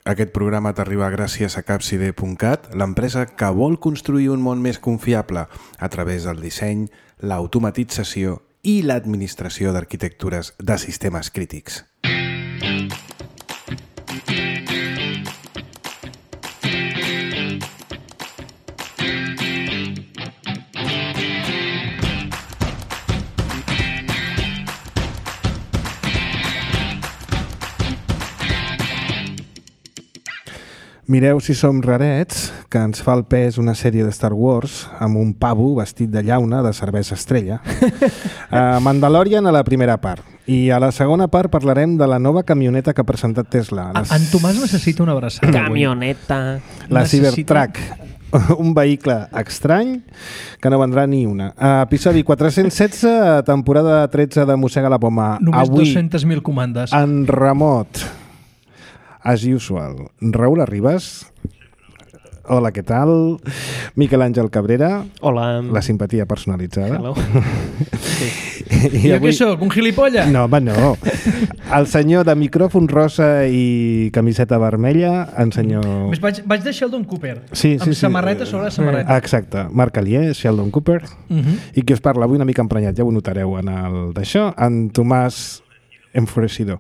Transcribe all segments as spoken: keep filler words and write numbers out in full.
Aquest programa t'arriba gràcies a capside punt cat, l'empresa que vol construir un món més confiable a través del disseny, l'automatització i l'administració d'arquitectures de sistemes crítics. Mireu si som rarets, que ens fa el pes una sèrie de Star Wars amb un pavo vestit de llauna de cervesa estrella. uh, Mandalorian a la primera part. I a la segona part parlarem de la nova camioneta que ha presentat Tesla. Les... En Tomàs necessita una abraçada. Camioneta. La Cybertruck. Un vehicle estrany que no vendrà ni una. Uh, episodi quatre-cents setze, temporada tretze de Mossega la Poma. Només Avui, dues-centes mil comandes. En remot. As usual, Raül Arribas. Hola, què tal? Miquel Àngel Cabrera. Hola. La simpatia personalitzada. Hello. Sí. I jo avui... què soc, un gilipolla? No, home, no. El senyor de micròfon rosa i camiseta vermella, en senyor... Més vaig, vaig de Sheldon Cooper, sí, sí, amb sí. samarreta sobre la samarreta. Exacte. Marc Alier, Sheldon Cooper, uh-huh. i qui us parla avui una mica emprenyat, ja ho notareu en el d'això, en Tomàs... enfurecido,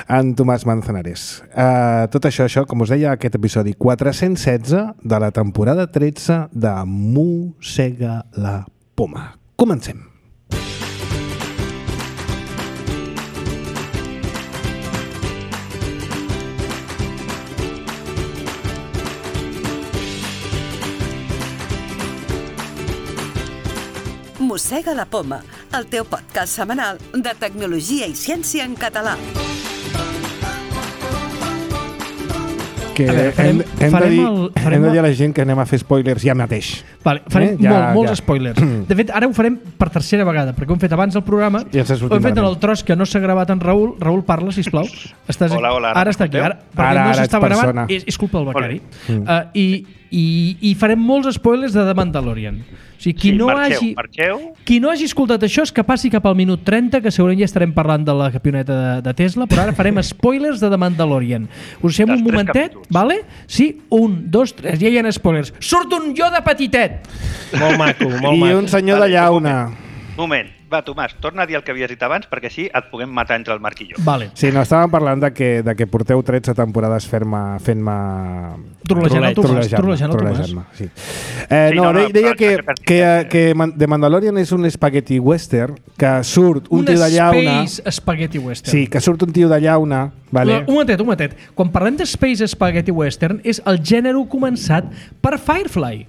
en Tomàs Manzanares. Uh, tot això, això, com us deia, aquest episodi quatre-cents setze de la temporada tretze de Mossega la Poma. Comencem. Mossega la Poma, el teu podcast setmanal de tecnologia i ciència en català. Que veure, farem, hem, hem, farem de dir, el, farem hem de dir a el... la gent que anem a fer spoilers ja mateix. Vale, farem eh? ja, molt, molts ja. spoilers. De fet, ara ho farem per tercera vegada, perquè ho hem fet abans del programa, ja ho hem fet en el tros que no s'ha gravat en Raül. Raül, parla, sisplau. Estàs hola, hola. Ara està aquí. Ara, perquè ara, no ara s'estava gravant, persona. és, és culpa del becari. Mm. Uh, i, i, I farem molts spoilers de The Mandalorian. O sigui, qui, sí, no marxeu, hagi, marxeu. qui no hagi escoltat això és que passi cap al minut trenta, que segurament ja estarem parlant de la camioneta de, de Tesla, però ara farem spoilers de The Mandalorian. Us deixem un momentet, capítols. vale? Sí, un, dos, tres, ja hi ha spoilers. Surt un Yoda petitet! Molt maco, molt I maco. un senyor de llauna. Moment, va, Tomàs, torna a dir el que havies dit abans perquè així et puguem matar entre el Marc i jo. Vale. Sí, no, estàvem parlant de que, de que porteu tretze temporades fent-me... fent-me... Trolejant el Tomàs. Trolejant-me, Trolejant el Tomàs. trolejant-me, sí. Eh, Sí, no, no, no, deia, deia però que, per- que, que The Mandalorian és un spaghetti western, que surt un, Un tio de llauna... Space Spaghetti Western. Sí, que surt un tio de llauna, vale? Un momentet, un momentet. Quan parlem de Space Spaghetti Western és el gènere començat per Firefly.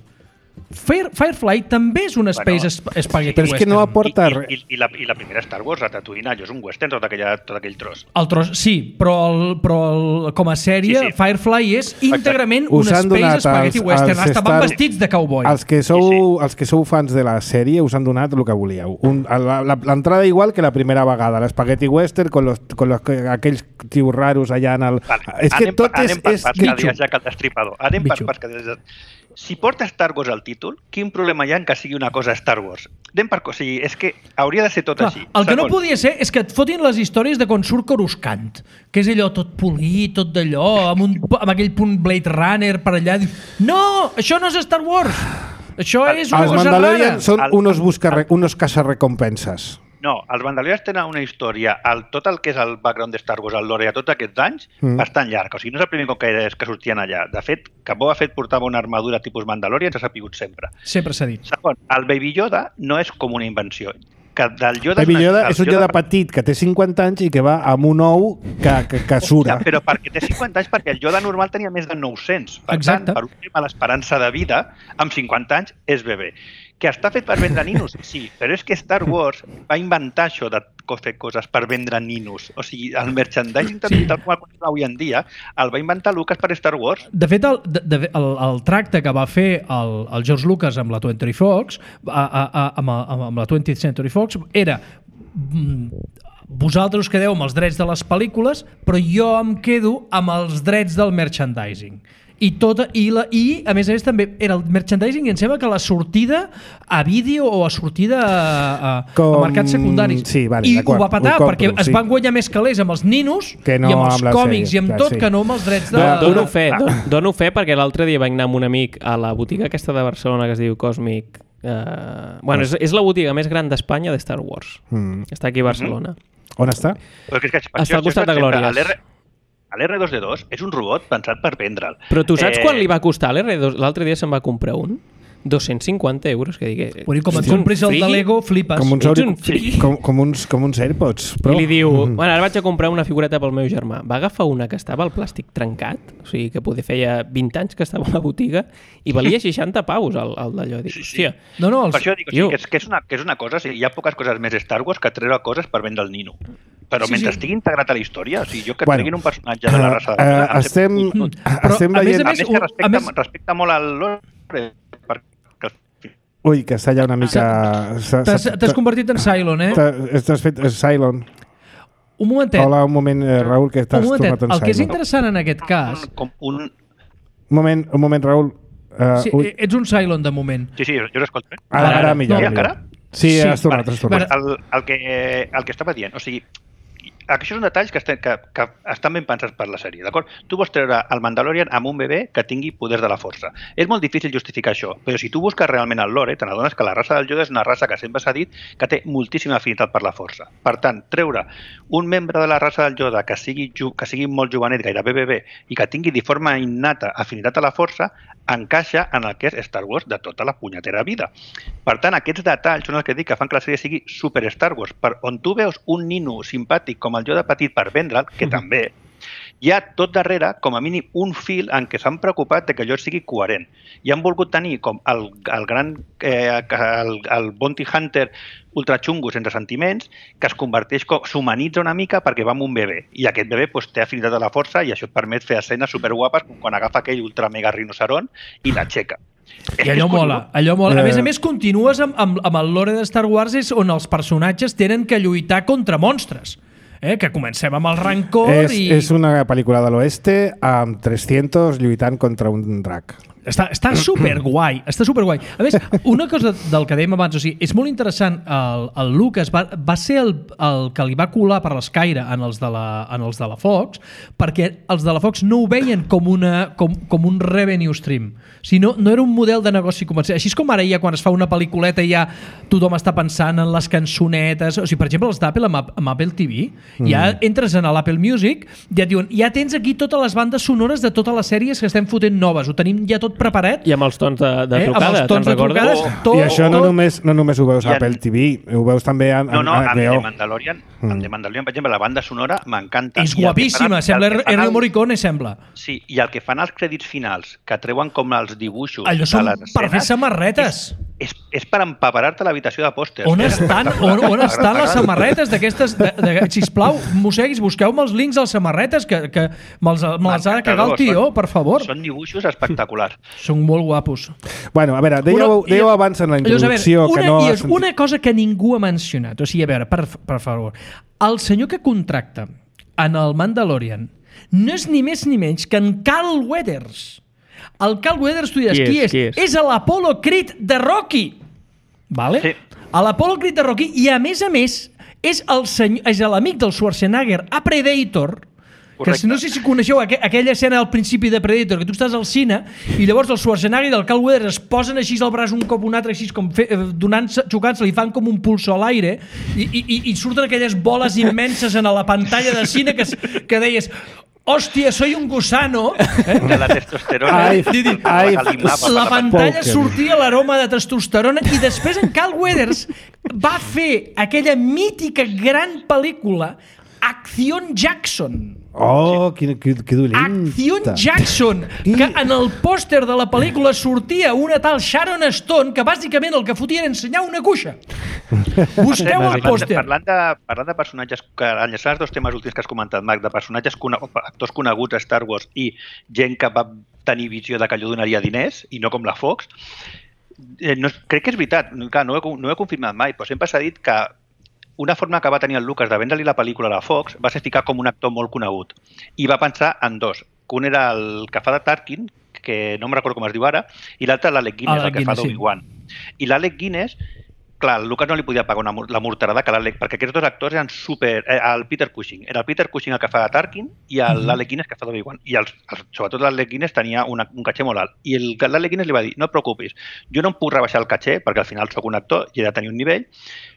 Fire, Firefly també és una Space Bueno, sp Spaghetti però és que Western. no aporta I, res. i, i, la, I la primera Star Wars, la Tatooine, allò és un western, tot, aquella, tot aquell tros. El tros, sí, però, el, però el, com a sèrie, Sí, sí. Firefly és íntegrament Us una han Space donat Spaghetti els- Western. els Hasta van Star- vestits de cowboy. Els que, sou, Sí, els que sou fans de la sèrie us han donat el que volíeu. Un, la- la- L'entrada igual que la primera vegada, l'Spaghetti Western, con, los, con los, aquells tios raros allà en el... Vale. És que anem, tot anem és... per és parts, que... que dies ja que el destripador. Anem Bitxo. per parts. Que dies... Si porta Star Wars al títol, quin problema hi ha en que sigui una cosa Star Wars? Anem per coses. O sigui, és que hauria de ser tot Clar, així. el que no Segon, podia ser és que et fotin les històries de quan surt Coruscant, que és allò tot polit, tot d'allò, amb, un, amb aquell punt Blade Runner per allà. No, això no és Star Wars. Això és una Els cosa Mandalorian rara. són El- unos, busca, unos caçarrecompenses. No, els Mandalorians tenen una història, el, tot el que és el background de Star Wars, el lore, a tots aquests anys, Mm. mm. bastant llarg. O sigui, no és el primer cop que, és que sortien allà. De fet, que Boba Fett portava una armadura tipus Mandalorian, s'ha sapigut sempre. Sempre s'ha dit. Segon, el Baby Yoda no és com una invenció. Que del Yoda Baby Yoda el és un Yoda petit que té cinquanta anys i que va amb un ou que, que, que sura. Ja, però perquè té cinquanta anys, perquè el Yoda normal tenia més de nou-cents. Per Exacte. tant, per un tema l'esperança de vida, amb cinquanta anys és bebè. Que està fet per vendre ninos? Sí, però és que Star Wars va inventar això de fer coses per vendre ninos. O sigui, el merchandising sí. tal com el avui en dia el va inventar Lucas per Star Wars. De fet, el, de, de, el, el tracte que va fer el, el George Lucas amb la twentieth Fox, a, a, a, amb, a, amb la twentieth Century Fox, era mm, vosaltres us quedeu amb els drets de les pel·lícules, però jo em quedo amb els drets del merchandising. I, tota, i, la, i a més a més també era el merchandising i em sembla que la sortida a vídeo o a sortida a, a, Com... a mercats secundaris. Sí, vale, I ho va patar ho compro, perquè sí. es van guanyar més calés amb els ninos no i amb els amb còmics sèrie, i amb clar, tot sí. que no amb els drets de... Dono fe, don, dono fe perquè l'altre dia vaig anar amb un amic a la botiga aquesta de Barcelona que es diu Cosmic. Uh, bueno, és, és la botiga més gran d'Espanya de Star Wars. Mm. Està aquí a Barcelona. Mm-hmm. On està? Perquè és que, està al costat de Glòries. L'R dos D dos és un robot pensat per vendre'l. Però tu saps eh... quan li va costar l'R dos? L'altre dia se'n va comprar un. dos-cents cinquanta euros, que digui... Bueno, com et compris el de Lego, flipes. Com uns, Ets un sí. com, com uns, com uns AirPods. Però... I li diu, mm. bueno, ara vaig a comprar una figureta pel meu germà. Va agafar una que estava al plàstic trencat, o sigui que poder feia vint anys que estava a la botiga, i valia seixanta paus el, el d'allò. Dic, sí, sí. hòstia. No, no, els... Per això dic, o sigui, que, és, que, és una, que és una cosa, o sigui, hi ha poques coses més Star Wars que treure coses per vendre el nino. Però sí, mentre sí. estigui integrat a la història, o sigui, jo que bueno, treguin un personatge de la raça de uh, uh, estem, però, estem a veient... més a més, a més que respecta, a més... respecta molt al lore, perquè... Ui, que està ja una mica... T'has convertit en Cylon, eh? T'has fet Cylon. Un momentet. Hola, un moment, Raül, que t'has tornat en Cylon. El que és interessant en aquest cas... Com un... Un moment, un moment, Raül. Uh, sí, ui. Ets un Cylon de moment. Sí, sí, jo l'escolto. Eh? Ara, ara, millor. No, encara? Sí, sí, has tornat, has tornat. El, el, que, el que estava dient, o sigui, això són detalls que, estan, que, que estan ben pensats per la sèrie, d'acord? Tu vols treure el Mandalorian amb un bebè que tingui poders de la força. És molt difícil justificar això, però si tu busques realment el lore, te n'adones que la raça del Yoda és una raça que sempre s'ha dit que té moltíssima afinitat per la força. Per tant, treure un membre de la raça del Yoda que sigui, que sigui molt jovenet, gairebé bebè, i que tingui de forma innata afinitat a la força, encaixa en el que és Star Wars de tota la punyetera vida. Per tant, aquests detalls són els que dic que fan que la sèrie sigui super Star Wars, per on tu veus un nino simpàtic com el Yoda petit per vendre'l, que mm-hmm. també, hi ha tot darrere, com a mínim, un fil en què s'han preocupat de que allò sigui coherent. I han volgut tenir com el, el gran eh, el, el bounty hunter ultrachungo sense sentiments, que es converteix, com, s'humanitza una mica perquè va amb un bebè. I aquest bebè pues, té afinitat a la força i això et permet fer escenes superguapes com quan agafa aquell ultra mega rinoceron i l'aixeca. I allò mola, allò mola. A més a més, continues amb, amb, amb el lore de Star Wars és on els personatges tenen que lluitar contra monstres. Eh, que comencem amb el rancor és, i... És una pel·lícula de l'oeste amb tres-cents lluitant contra un drac. Està, està superguai, està superguai. A més, una cosa del que dèiem abans, o sigui, és molt interessant, el, el Lucas va, va ser el, el que li va colar per l'escaire en els de la, en els de la Fox, perquè els de la Fox no ho veien com, una, com, com un revenue stream, sinó no era un model de negoci comercial. Així és com ara ja quan es fa una pel·lículeta ja tothom està pensant en les cançonetes, o sigui, per exemple, els d'Apple amb, amb Apple T V, mm. ja entres en l'Apple Music, ja et diuen, ja tens aquí totes les bandes sonores de totes les sèries que estem fotent noves, ho tenim ja tot preparat. I amb els tons de, de eh? trucada, te'n recordes? Oh. Tot, I això no tot... només, no només ho veus a Apple T V, ho veus també a, a, no, no, a amb H B O. The Mandalorian, mm. amb The Mandalorian, per exemple, la banda sonora m'encanta. És guapíssima, sembla Ennio Morricone, sembla. Sí, i el que fan els crèdits finals, que treuen com els dibuixos allò de són les escenes, per fer samarretes. És, és, és per empaparar-te l'habitació de pòsters. On estan, on, on estan les samarretes d'aquestes? De, de, sisplau, mosseguis, busqueu-me els links a les samarretes, que, que me'ls me ha de cagar el tio, per favor. Són dibuixos espectaculars. Són molt guapos. Bueno, a veure, dèieu, una, dèieu abans en la introducció veure, una, que no... I és una cosa que ningú ha mencionat. O sigui, a veure, per, per favor, el senyor que contracta en el Mandalorian no és ni més ni menys que en Carl Weathers. El Carl Weathers, tu diràs, qui, qui és? Qui és? És l'Apollo Creed de Rocky. Vale? Sí. L'Apollo Creed de Rocky, i a més a més és el senyor, és l'amic del Schwarzenegger a Predator. Correcte. Que no sé si coneixeu aqu aquella escena al principi de Predator, que tu estàs al cine i llavors el Schwarzenegger i el Carl Weathers es posen així al braç un cop un altre, així com donant-se, xocant-se, li fan com un pulso a l'aire i, i, i surten aquelles boles immenses en la pantalla de cine que, que deies... Hòstia, soy un gusano. Eh? La testosterona. Ai, ai, la pantalla sortia l'aroma de testosterona i després en Carl Weathers va fer aquella mítica gran pel·lícula Acción Jackson. Oh, que, que, que dolenta. Acción Jackson, que en el pòster de la pel·lícula sortia una tal Sharon Stone que bàsicament el que fotia era ensenyar una cuixa. Busqueu el pòster. Parlant de, parlant de personatges, que enllaçant els dos temes últims que has comentat, Marc, de personatges, actors coneguts a Star Wars i gent que va tenir visió de que allò donaria diners, i no com la Fox, eh, no, crec que és veritat, clar, no, ho he, no ho he confirmat mai, però sempre s'ha dit que una forma que va tenir el Lucas de vendre-li la pel·lícula a la Fox va ser ficar com un actor molt conegut. I va pensar en dos. Un era el que fa de Tarkin, que no em recordo com es diu ara, i l'altre l'Alec Guinness, el que fa d'Obi-Wan. I l'Alec Guinness, clar, el Lucas no li podia pagar una, la morterada que l'Alec, perquè aquests dos actors eren super... Eh, el Peter Cushing. Era el Peter Cushing el que fa de Tarkin i l'Alec Guinness que fa d'Obi-Wan. I els, els, sobretot l'Alec Guinness tenia una, un caché molt alt. I l'Alec Guinness li va dir, no et preocupis, jo no em puc rebaixar el caché, perquè al final sóc un actor i he de tenir un nivell,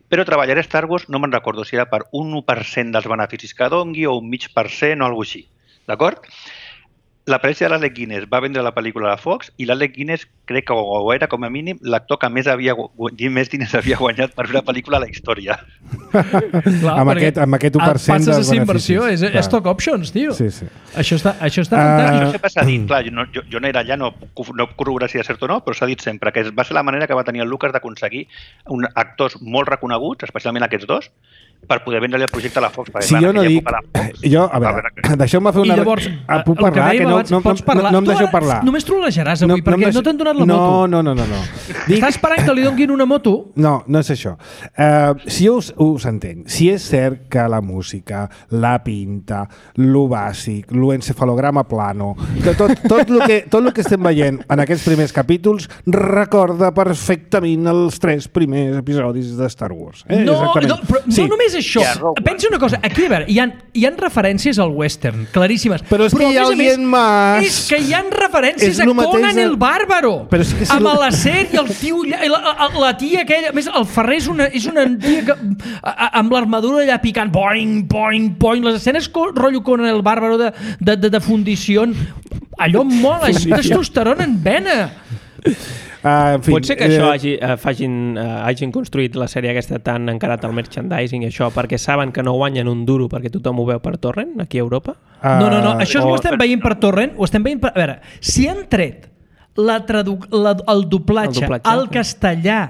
però treballaré a Star Wars, no me'n recordo si era per un u per cent dels beneficis que dongui o un mig per cent o alguna cosa així. D'acord? La parella de l'Alec Guinness va vendre la pel·lícula a la Fox i l'Alec Guinness crec que o era com a mínim l'actor que més, havia, més diners havia guanyat per fer una pel·lícula a la història. Clar, amb, aquest, amb aquest u per cent dels beneficis. Inversió, és, és stock options, tio. Sí, sí. Això està, això està Uh, fantàstic. No sé pas s'ha dit, clar, jo no, jo, jo no era allà, no, no corroborar si és cert o no, però s'ha dit sempre que va ser la manera que va tenir el Lucas d'aconseguir un, actors molt reconeguts, especialment aquests dos, per poder vendre-li el projecte a la Fox. Si jo no dic... Jo, a veure, deixeu-me fer una... I llavors, ah, puc parlar? Que no, no, no, no, no em deixeu parlar. Només trolejaràs avui, no, perquè no, deixo... no t'han donat la no, moto. No, no, no, no. Dic... Estàs esperant que li donguin una moto? No, no és això. Uh, si us, us entenc, si és cert que la música, la pinta, lo bàsic, l'encefalograma plano, que tot, tot, lo que, tot el que estem veient en aquests primers capítols recorda perfectament els tres primers episodis de Star Wars. Eh? No, no, però sí. no només això. Yeah, pensa una cosa, aquí, a veure, hi ha, hi ha referències al western, claríssimes. Però és que hi ha alguien més. És que hi ha referències a Conan el Bàrbaro. Però sí que si amb lo... l'acer i el tio, la, la tia aquella, a més, el Ferrer és una, és una tia que, amb l'armadura allà picant, boing, boing, boing, les escenes rotllo Conan el Bàrbaro de, de, de, de fundició, allò mola, és testosterona en vena. Uh, en fi, pot ser que això hagi, uh, fagin, uh, hagin construït la sèrie aquesta tan encarat al merchandising i això perquè saben que no guanyen un duro perquè tothom ho veu per torrent aquí a Europa? Uh, no, no, no, això o... ho estem veient per torrent, ho estem veient per... A veure, si han tret la tradu... la, el, doblatge el doblatge al castellà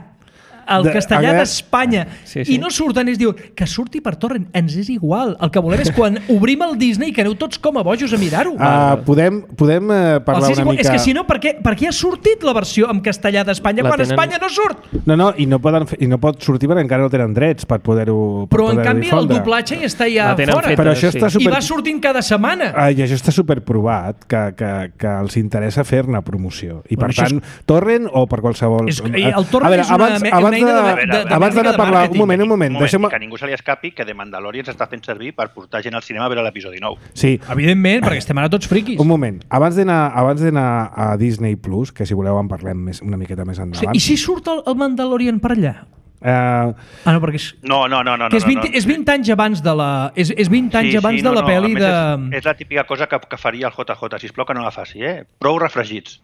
el de, castellà d'Espanya sí, sí. i no surten i es diu que surti per torrent, ens és igual, el que volem és quan obrim el Disney que aneu tots com a bojos a mirar-ho. Uh, podem podem uh, parlar una mica... És que si no, per què, per què ha sortit la versió en castellà d'Espanya quan tenen... Espanya no surt? No, no, i no, poden fer, i no pot sortir perquè encara no tenen drets per poder-ho Però poder en canvi difondre. El doblatge ja està ja fora. Feta, però això sí. està super... I va sortint cada setmana. Uh, I això està superprovat que, que, que els interessa fer-ne promoció. I bueno, per tant, és... torrent o per qualsevol... És, el torrent veure, és una, abans, una abans eina de, de, de, de, abans d'anar a parlar, un moment, un moment. Un moment deixem... que ningú se li escapi que The Mandalorian s'està fent servir per portar gent al cinema a veure l'episodi nou. Sí. Evidentment, perquè estem ara tots friquis. Un moment. Abans d'anar abans d'anar a Disney Plus, que si voleu en parlem més, una miqueta més endavant... Sí, i si surt el, el Mandalorian per allà? Uh, ah, no, perquè és... No, no, no. no, que és, vint, no, no. és vint anys abans de la... És, és vint anys sí, abans sí, no, de la no, pel·li de... És, és la típica cosa que, que faria el J J. Sisplau que no la faci, eh? Prou refregits.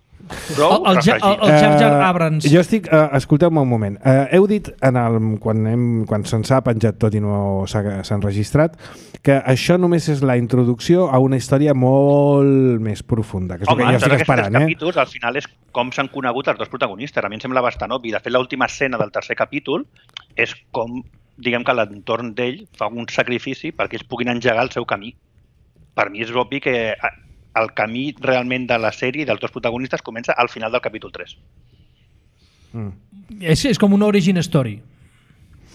Prou el, el, refregits. El, el Jar Jar Abrams. Uh, jo estic... Uh, escolteu-me un moment. Uh, heu dit, en el, quan, hem, quan se'ns ha penjat tot i no s'ha enregistrat, que això només és la introducció a una història molt més profunda, que és Home, el que jo estic esperant. Eh? Capítols, al final és com s'han conegut els dos protagonistes. A mi em sembla bastant obvi. De fet, l'última escena del tercer capítol és com, diguem que l'entorn d'ell fa un sacrifici perquè ells puguin engegar el seu camí. Per mi és obvi que el camí realment de la sèrie dels dos protagonistes comença al final del capítol tres. Mm. És, és com una origin story.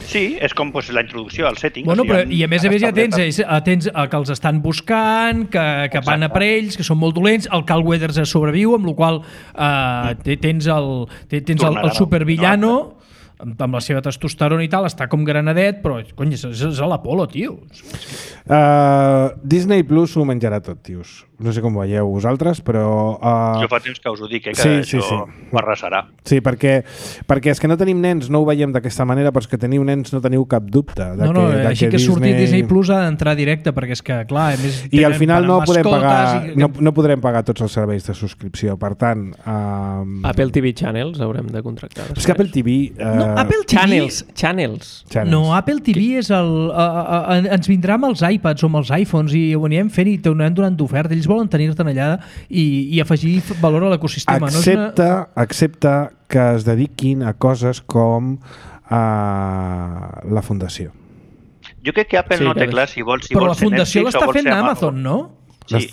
Sí, és com pues, la introducció al setting. Bueno, o sigui, però, I a més a més ja tens, tens que els estan buscant, que, que van a per ells, que són molt dolents, el Carl Weathers sobreviu, amb la qual cosa eh, tens el, tens el, el supervillano, amb, amb la seva testosterona i tal, està com granadet, però cony, és, és l'Apolo, tio. Uh, Disney Plus ho menjarà tot, tios. No sé com veieu vosaltres, però... Uh... Jo fa temps que us ho dic, eh, que sí, això sí, sí. ho arrasarà. Sí, perquè, perquè és que no tenim nens, no ho veiem d'aquesta manera, però és que teniu nens no teniu cap dubte. De no, no, que, de així que, que Disney... surti Disney Plus ha d'entrar directe, perquè és que, clar, a més... I al final no podrem, pagar, i... no, no podrem pagar tots els serveis de subscripció, per tant... Um... Apple T V Channels haurem de contractar. És que Apple T V... Uh... No, Apple T V... Channels, channels. Channels. No, Apple T V és el... Uh, uh, ens vindrà amb els iPads o amb els iPhones i ho anirem fent i t'ho donant d'oferta. Ells volen tenir-te'n allà i, i afegir valor a l'ecosistema. Excepte, no una... excepte que es dediquin a coses com uh, la fundació. Jo crec que Apple sí, no té clar si vol, si però vol la fundació l'està fent Amazon, no? Sí,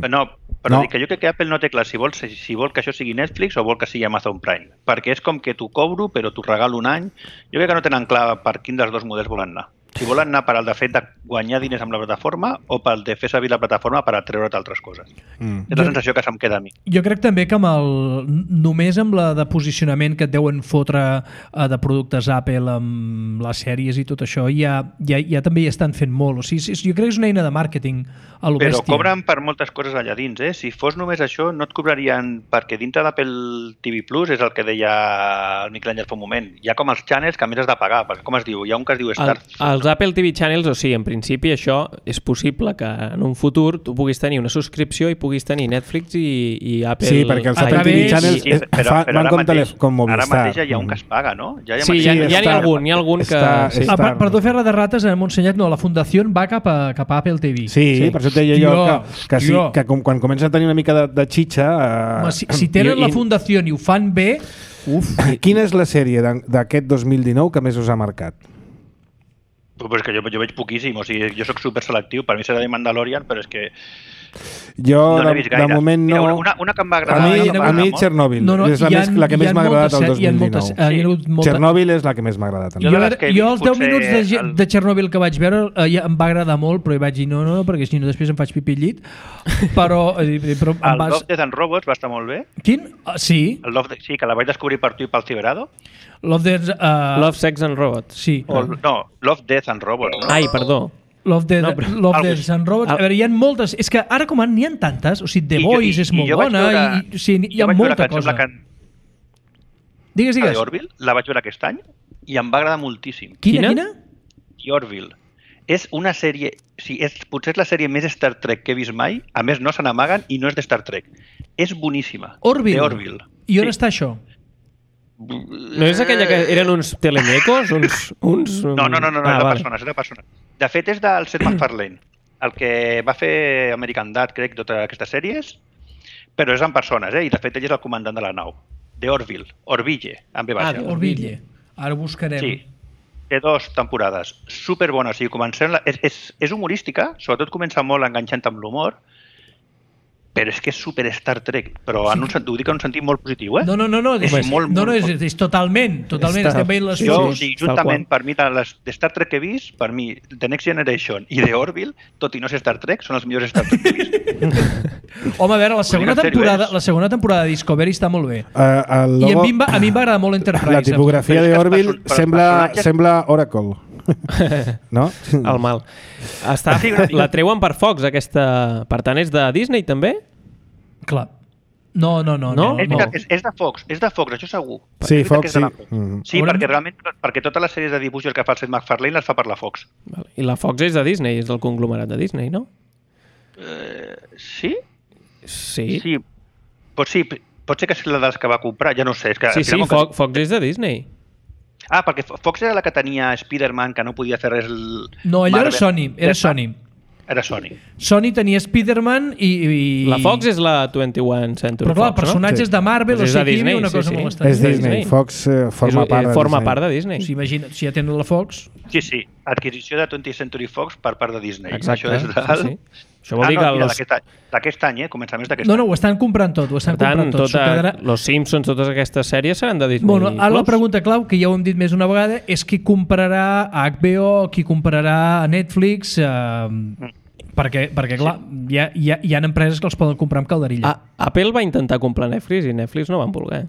no, però no. dic que jo crec que Apple no té clar si vol, si vol que això sigui Netflix o vol que sigui Amazon Prime, perquè és com que t'ho cobro però t'ho regalo un any. Jo crec que no tenen clar per quin dels dos models volen anar. Si volen anar per al de fet de guanyar diners amb la plataforma o pel de fer servir la plataforma per atreure't altres coses. Mm. És la sensació que se'm queda a mi. Jo crec també que amb el, només amb la de posicionament que et deuen fotre uh, de productes Apple amb les sèries i tot això, ja, ja, ja també hi estan fent molt. O sigui, jo crec que és una eina de màrqueting a lo Però bèstia. cobren per moltes coses allà dins, eh? Si fos només això, no et cobrarien, perquè dintre d'Apple T V Plus, és el que deia el Miquel Àngel fa un moment, hi ha com els channels que a més has de pagar, perquè com es diu? Hi ha un que es diu Star... El, els Apple T V Channels, o sigui, en principi això és possible que en un futur tu puguis tenir una subscripció i puguis tenir Netflix i, i Apple... Sí, perquè els Apple través... T V Channels Sí, però, fa, però van ara com, mateix, telef- com Movistar. Ara mateix ja hi ha un que es paga, no? Ja hi ha Sí, mateix- ja, ja n'hi ha Star- algun, hi ha algun que... Star- sí. Ah, per, Star. perdó, fer-la de rates, hem ensenyat, no, la fundació va cap a, cap a Apple T V. Sí, sí, per això et deia jo Hòstia, que, que, sí, hòstia. que com, quan comença a tenir una mica de, de xitxa... Eh, Home, si, si tenen i- la i- fundació i ho fan bé, uf. Quina és la sèrie d'en- d'aquest dos mil dinou que més us ha marcat? Pues que jo, jo veig poquíssim, o sigui, jo sóc super selectiu, per mi serà de Mandalorian, però és que Jo, no l'he de, vist de gaire. moment no... Mira, una, una que em va A agradar... mi, una que em va a mi agradar molt. Chernobyl No, no, és la, hi ha- més, la que hi més ha m'ha agradat moltes- el dos hi ha mil moltes- dinou. hi ha hagut molta- Chernobyl és la que més m'ha agradat. Jo també. Jo, de les que he jo vist, els deu potser minuts de, ge- el- de Chernobyl que vaig veure eh, ja em va agradar molt, però hi vaig dir no, no, perquè si no després em faig pipí al llit. Però, eh, però em El vas... Love, Death and Robots va estar molt bé. Quin? Ah, sí, El Love, sí, que la vaig descobrir per tu i pel Ciberado. Love Death... Uh, Love, Sex and Robots. Sí. O, no, Love, Death and Robots. No? Ai, perdó. Love Death, No, no, però- Love Algo Death així. and Robots. A veure, hi ha moltes... És que ara com n'hi ha tantes, o sigui, The I jo- Voice i- és i molt jo vaig bona, veure- i, o sigui, hi jo ha vaig veure molta que em sembla cosa. que Digues, La digues. de Orville la vaig veure aquest any i em va agradar moltíssim. Quina, Quina? quina? The Orville. És una sèrie... Sí, és, potser és la sèrie més Star Trek que he vist mai. A més, no se n'amaguen i no és de Star Trek. És boníssima. Orville. The Orville. I on Sí. està això? No és aquella que eren uns telemecos? Uns, uns... No, no, no, no, no ah, és de vale. persones, és de persones. De fet, és del Seth MacFarlane, el que va fer American Dad, crec, totes aquestes sèries, però és en persones, eh? I de fet ell és el comandant de la nau. De Orville, Orville, amb B Ah, baixa. de Orville. Ara ho buscarem. Sí. Té dos temporades superbones. O sigui, comencem la... és, és, és humorística, sobretot comença molt enganxant amb l'humor, però és que és super Star Trek, però en un, sent- ho dic en un sentit molt positiu, eh? No, no, no, no, És és, molt, no, no, molt- és, és totalment, totalment, Està- estem veient les Jo, o fotos. sigui, tal juntament, qual. per mi, de les de Star Trek que he vist, per mi, The Next Generation i The Orville, tot i no ser Star Trek, són els millors Star Trek que he vist. Home, a veure, la segona, en sèrio, temporada, és? la segona temporada de Discovery està molt bé. Uh, el I a logo, mi, em va, a mi em va agradar molt Enterprise. la tipografia Però és de que els Orville person- però els sembla, personatges- sembla Oracle. No? El mal. Està, Sí, una mica. la treuen per Fox, aquesta... Per tant, és de Disney, també? Clar. No, no, no. No? no, És, no. veritat, és, és de Fox, és de Fox, això segur. Sí, És veritat Fox, que és de la sí. Fox. Mhm. Sí, Haurem- perquè realment, perquè totes les sèries de dibuixos que fa el Seth MacFarlane les fa per la Fox. Vale. I la Fox és de Disney, és del conglomerat de Disney, no? Eh, sí? Sí. Sí. Pot, sí, pot ser que sigui la dels que va comprar, ja no ho sé. És que, Sí, al sí, final, com Fox, Fox és de Disney. Que... Ah, perquè Fo- Fox era la que tenia Spider-Man, que no podia fer res... El... No, allò era Marvel. Sony, era Ja està. Sony. Era Sony. Sony tenia Spider-Man i, i... La Fox és la vint-i-one Century Però clar, Fox, personatges Sí. de Marvel, Doncs o és de sigui, aquí hi havia Disney, una sí, cosa sí. molt És estranya. de Disney. Disney. Fox eh, no? forma És- part de forma Disney. part de Disney. O sigui, imagina't, si ja tenen la Fox... Sí, sí. Adquisició de twentieth Century Fox per part de Disney. Exacte, Això és de... sí, sí. Això vol ah, dir no, que mira, los- d'aquest any, d'aquest any, eh? Començaments d'aquest No, no, any. ho estan comprant tot, ho estan Per tant, comprant tot. tota, S'ho quedarà... los Simpsons, totes aquestes sèries seran de Disney Bueno, ara la Plus. pregunta clau, que ja ho hem dit més una vegada, és qui comprarà a H B O, qui comprarà a Netflix... Eh, perquè, perquè clar, hi ha, hi, ha, hi ha empreses que els poden comprar amb calderilla. Ah, Apple va intentar comprar Netflix i Netflix no van voler.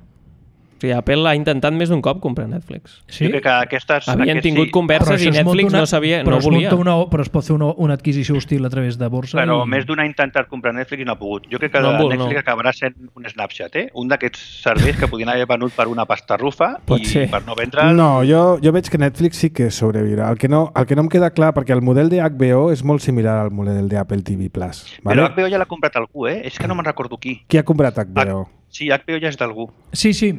O sigui, Apple ha intentat més d'un cop comprar Netflix. Sí? Jo crec que aquestes... Havien aquests, tingut sí, converses i això es monta Netflix no sabia, però no es volia. monta Una, però es pot fer una, una adquisició hostil a través de borsa. Però i... més d'una ha intentat comprar Netflix i no ha pogut. Jo crec que No no, vol, Netflix no. acabarà sent un Snapchat, eh? Un d'aquests serveis que podien haver venut per una pasta rufa Pot i ser. per no vendre... No, jo, jo veig que Netflix sí que sobreviurà. El que, no, el que no em queda clar, perquè el model de H B O és molt similar al model d'Apple T V Plus. Però Vale? H B O ja l'ha comprat algú, eh? És que no me'n recordo qui. Qui ha comprat H B O? Sí, H B O ja és d'algú. Sí, sí.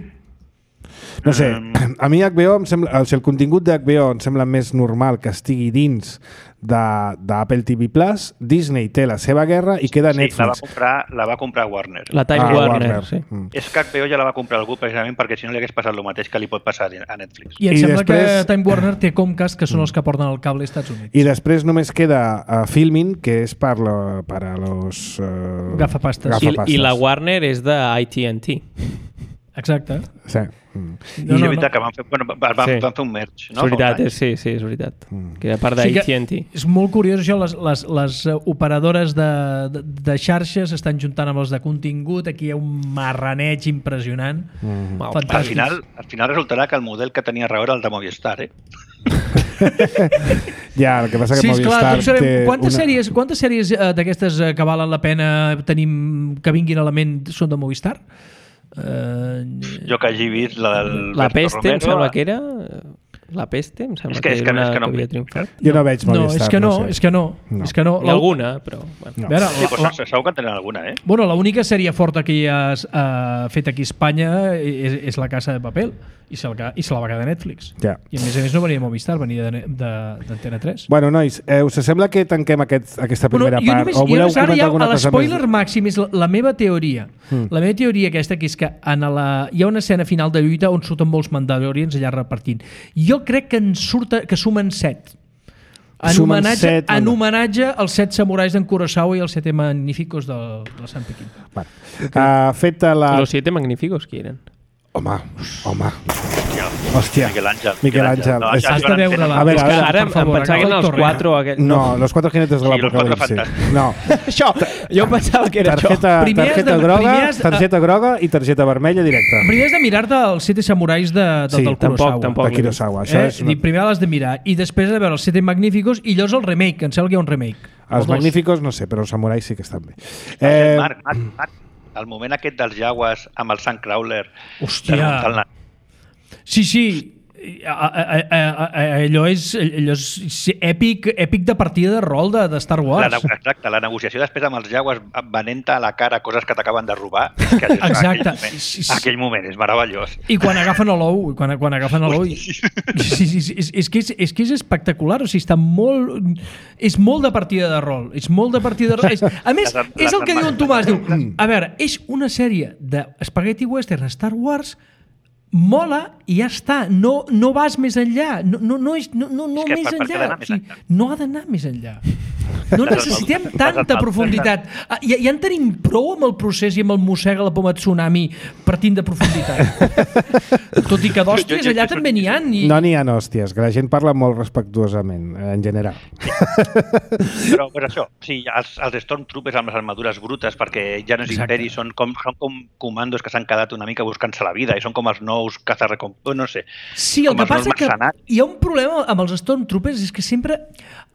No sé, Mm. a mi H B O em sembla, o sigui, el contingut de H B O em sembla més normal que estigui dins de- d'Apple T V Plus. Disney té la seva guerra i queda Sí, la va Netflix. comprar, la va comprar Warner. La Time Ah, Warner, sí. Mm. És que H B O ja la va comprar algú precisament perquè si no li hagués passat el mateix que li pot passar a Netflix. I em I sembla després- que Time Warner té Comcast, que són els que porten el cable als Estats Units. I després només queda uh, Filmin, que és per, lo, per a los... Uh, Gafapastes. I, gafapastes. I la Warner és de A T and T. Exacte. Sí. Mm. I no, no, és veritat no. que van fer, bueno, van, sí. van fer un merge, no? És veritat, és, sí, sí, és veritat. Mm. Que era part d'A T and T. Sí, és molt curiós això, les, les, les operadores de, de, de xarxes s'estan juntant amb els de contingut, aquí hi ha un marraneig impressionant. Mm. Fantàstic. Al final, al final resultarà que el model que tenia raó era el de Movistar, eh? Ja, el que passa que sí, Movistar clar, sabem, té quantes una... sèries, quantes sèries uh, d'aquestes uh, que valen la pena tenim que vinguin a la ment són de Movistar? Uh, jo que hagi vist la del La Berto Peste, Romero, em sembla que era... La Peste, em sembla és que, que, és que, era una és que no, que havia triomfat. Jo no veig Movistar. No, és que no, no sé. és que no. no. És que no. Hi ha alguna, però... Bueno. No. Veure, sí, la, però la, segur que en tenen alguna, eh? bueno, l'única sèrie forta que hi ha uh, fet aquí a Espanya és, és La Casa de Papel i se la, i se la va quedar a Netflix. Ja. I a més a més no venia de Movistar, venia d'Antena tres. Bueno, nois, eh, us sembla que tanquem aquest, aquesta primera bueno, part? Només, o voleu jo ara comentar ja, alguna a cosa l'espoiler més? màxim és la, la meva teoria. Mm. La meva teoria aquesta, que és que en la, hi ha una escena final de lluita on surten molts Mandalorians allà repartint. Jo crec que en surta, que sumen set. En homenatge, set, en homenatge als set samurais d'en Kurosawa i els sete magníficos de la Sant Pequín. Vale. Uh, feta la... Los siete magníficos, qui eren? Home, home. Hòstia. Miquel Àngel. Miquel Àngel. No, És- ja Has de veure-la. A veure, És a que veure, ara em, per favor, em pensava que eren els agafa el quatre... O aquest... No, los cuatro jinetes de Sí, los cuatro l'apocalipsi. fantàstics. No. Això, jo pensava que era Tarjeta, Primer has tarjeta de- groga, primer has de- targeta groga i targeta vermella directa. Primer has de mirar-te els sete samurais de, de, Sí, del tampoc, Kurosawa. tampoc. De Kurosawa. Això Eh? és una... Primer l'has de mirar i després de veure els sete magníficos i llavors el remake, que em sembla que hi ha un remake. O Els dos. magníficos no sé, però els samurais sí que estan bé. Eh... Eh, Marc, Marc, Marc, el moment aquest dels Jaguars amb el Sandcrawler Hòstia. de remuntar el nas. Sí, sí. A, a, a, a, a, allò és, allò és èpic, èpic de partida de rol de, de Star La, Wars. nego- exacte, la negociació després amb els Jaguars venent a la cara coses que t'acaben de robar. És que allò- Exacte. Aquell moment, aquell moment és meravellós. I quan agafen a l'ou, quan, quan agafen a l'ou... Sí, sí, sí, és, és, que és, és que és espectacular, o sigui, està molt... És molt de partida de rol, és molt de partida de rol. És, a més, Les- és el les que diu en Tomàs, diu, Mm. a veure, és una sèrie de spaghetti western Star Wars, mola i ja està, no, no vas més enllà, no, no, no, és, no, no, no És que més per- per què ha enllà, d'anar o més sigui, enllà? no ha d'anar més enllà. No Les necessitem armadures- tanta les profunditat. Ah, Ja, ja en tenim prou amb el procés i amb el mossega la poma tsunami partint de profunditat. Tot i que d'hòsties Jo- jo- allà jo- també n'hi ha. I... no n'hi ha hòsties, que la gent parla molt respectuosament, en general. Però pues això, sí, els, els Stormtroopers amb les armadures brutes, perquè ja no és Exacte. imperi, són com, són com comandos que s'han quedat una mica buscant-se la vida i són com els nous cazarrecompenses, no sé. Sí, el com que els nous passa que mercenaris. hi ha un problema amb els Stormtroopers, és que sempre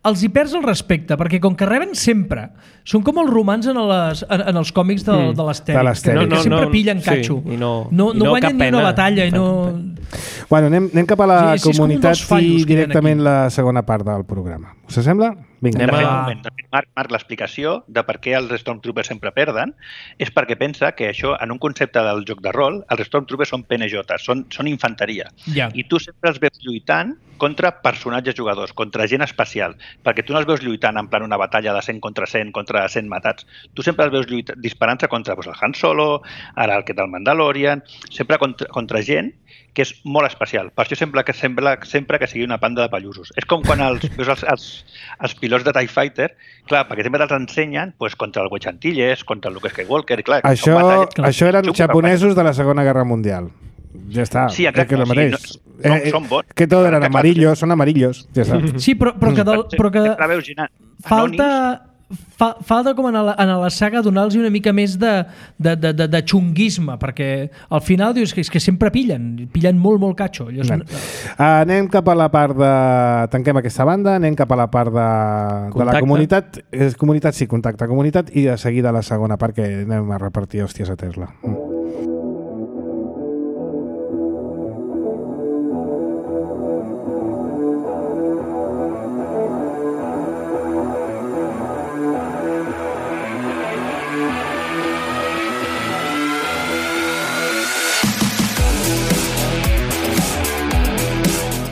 els hi perds el respecte, perquè com que reben sempre, són com els romans en, les, en, en els còmics de, Mm. de l'Astèrix, De que, l'Astèrix. que No, no, sempre no, pillen sí, catxo. i no- no, i no, no guanyen cap ni una pena. batalla. I no... Bueno, anem, anem cap a la Sí, sí, és com un comunitat dels fallos i que hi ha directament aquí. la segona part del programa. Us sembla? Vinga. Anem De fet, a- un moment, de fet, Marc, Marc l'explicació de per què els Stormtroopers sempre perden és perquè pensa que això, en un concepte del joc de rol, els Stormtroopers són P N J, són, són infanteria. Ja. I tu sempre els veus lluitant contra personatges jugadors, contra gent especial, perquè tu no els veus lluitant en plan una batalla de cent contra cent, contra cent matats. Tu sempre els veus lluitant, disparant-se contra doncs, el Han Solo, ara el que del Mandalorian, sempre contra, contra gent que és molt especial. Per això sembla que sembla sempre que sigui una panda de pallussos. És com quan els, veus els, els, els pilots de TIE Fighter, clar, perquè sempre te'ls ensenyen pues, contra el Wedge Antilles, contra el Luke Skywalker, i clar, Això, són batalles- això eren són japonesos de la Segona Guerra Mundial. Ja està. Sí, exacte, que és el sí, mateix. no- són- són bons. Que tot eren Que clar, amarillos, són amarillos. Ja està. Sí, però, però que, del, però que Sempre veus gent falta... Fa, falta com en la, en la saga donar-los una mica més de, de, de, de, de xunguisme, perquè al final dius que, és que sempre pillen, pillen molt, molt catxo. Allò són... Uh, anem cap a la part de... Tanquem aquesta banda, anem cap a la part de, de la Contacte. comunitat. És comunitat, sí, contacte, comunitat, i de seguida la segona part que anem a repartir hòsties a Tesla. Mm.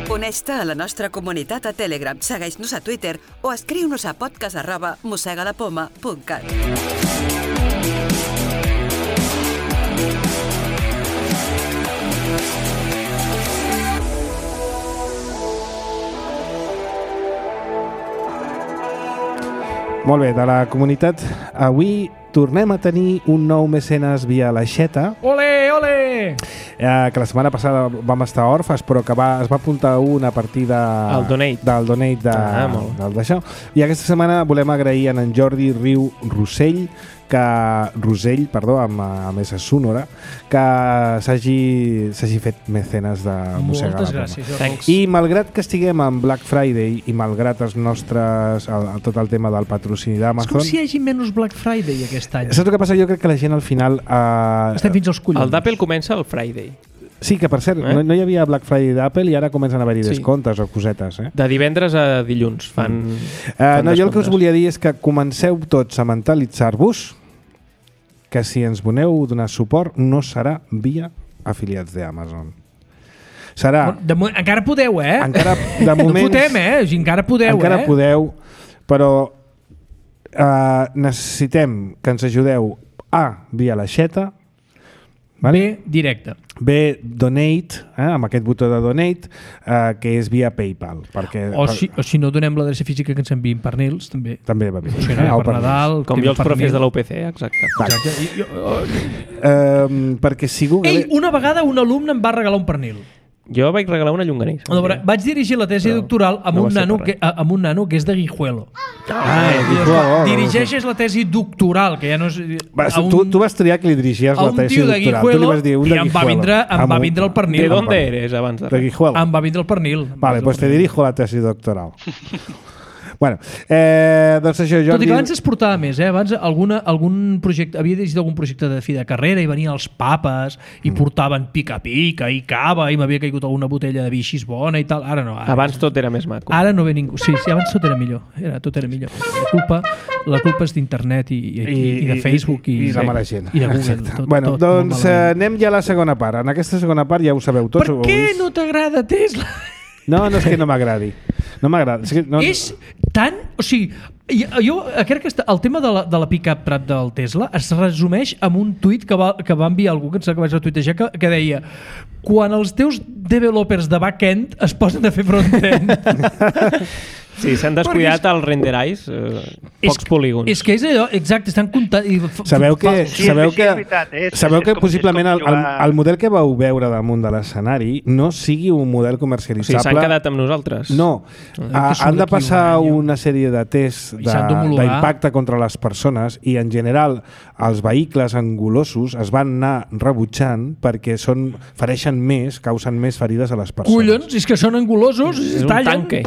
Uneix-te a la nostra comunitat a Telegram, segueix-nos a Twitter o escriu-nos a podcast arroba mossegalapoma punt cat. Molt bé, de la comunitat avui tornem a tenir un nou mecenes via l'aixeta. Ole, ole! Eh, que la setmana passada vam estar orfes, però que va, es va apuntar un a partir de, El donate. del donate de, Ah, molt. del d'això. I aquesta setmana volem agrair a en Jordi Riu Rossell, que, Rosell, perdó, amb, amb essa sonora, que s'hagi s'hagi fet mecenes de Mossega Moltes la Poma. gràcies, Jordi. Thanks. I malgrat que estiguem en Black Friday i malgrat els nostres, el, el, tot el tema del patrocini És com d'Amazon, si hi hagi menys Black Friday aquest any. saps el que passa? Jo crec que la gent al final... Eh, Estem fins als collons. El d'Apple comença el Friday. Sí, que per cert, Eh? no, no hi havia Black Friday d'Apple i ara comencen a haver-hi Sí. descomptes o cosetes. Eh? De divendres a dilluns fan... Uh, fan no, jo el que us descomptes. volia dir és que comenceu tots a mentalitzar-vos que si ens voleu donar suport no serà via afiliats d'Amazon. Serà... Bueno, de, mo- encara podeu, eh? Encara, de No moments, fotem, eh? O sigui, encara podeu, encara eh? podeu, però uh, necessitem que ens ajudeu A, via l'aixeta, Bé, directe. B, donate, eh, amb aquest botó de donate, eh, que és via PayPal. Perquè, O si, o si no donem l'adreça física que ens enviïn pernils, també. També va bé. Funcionarà Eh, o per per Nadal. Com que jo els pernil. profes de l'U P C, exacte. Exacte. I- i- oh, Eh, perquè si Google... Ei, una vegada un alumne em va regalar un pernil. Jo vaig regalar una llonganissa. A veure, vaig dirigir la tesi Però doctoral amb, no va un ser nano per que, a- amb un nano que és de Guijuelo. Ah, I dius, Guijuelo, clar, oh, dirigeixes la tesi doctoral, que ja no és... Va, a un- tu, tu vas triar que li dirigies a la un tesi tio de doctoral. Tu li Guijuelo vas dir un i de em va Guijuelo. vindre, em Amb va un- vindre el pernil. ¿De dónde eres abans de De res? Guijuelo. Em va vindre el pernil. Vale, pues te dirijo la tesi doctoral. Bueno, eh, doncs això, Jordi... Tot i que abans es portava més, eh? Abans alguna, algun projecte, havia dirigit algun projecte de fi de carrera i venien els papes i portaven pica-pica i cava i m'havia caigut alguna botella de vi així bona i tal. Ara no. Ara, Abans tot era més maco. ara no ve ningú. Sí, sí, abans tot era millor. Era, tot era millor. La culpa, la culpa és d'internet i, i, i, i de Facebook i, i, i de mala gent. i de Google. Exacte. Tot, bueno, tot doncs molt eh, malament. anem ja a la segona part. En aquesta segona part ja ho sabeu tots. Per ho heu què vist. no t'agrada Tesla? No, no és que no m'agradi. No m'agrada. És, que no... És tan... O sigui, jo, jo crec que està- el tema de la, de la pick-up truck del Tesla es resumeix amb un tuit que va, que va enviar algú, que em sembla que vaig retuitejar, que, que deia: quan els teus developers de back-end es posen a fer front-end. Sí, s'han descuidat els renderais, eh, pocs polígons. És que és allò, exacte, estan comptant... I f- Sabeu que, fa- Sí, sabeu sí, que, és veritat, és- sabeu és que com- possiblement és el, com el, jugar- el model que vau veure damunt de l'escenari no sigui un model O comercialitzable. sigui, s'han quedat amb nosaltres. No, que ah, surt han de d'aquí un passar any, una sèrie de tests I s'han d'homologar. d'impacte contra les persones i en general els vehicles angulosos es van anar rebutjant perquè són, fereixen més, causen més ferides a les persones. Collons, és que són angulosos, És un tallen. tanque.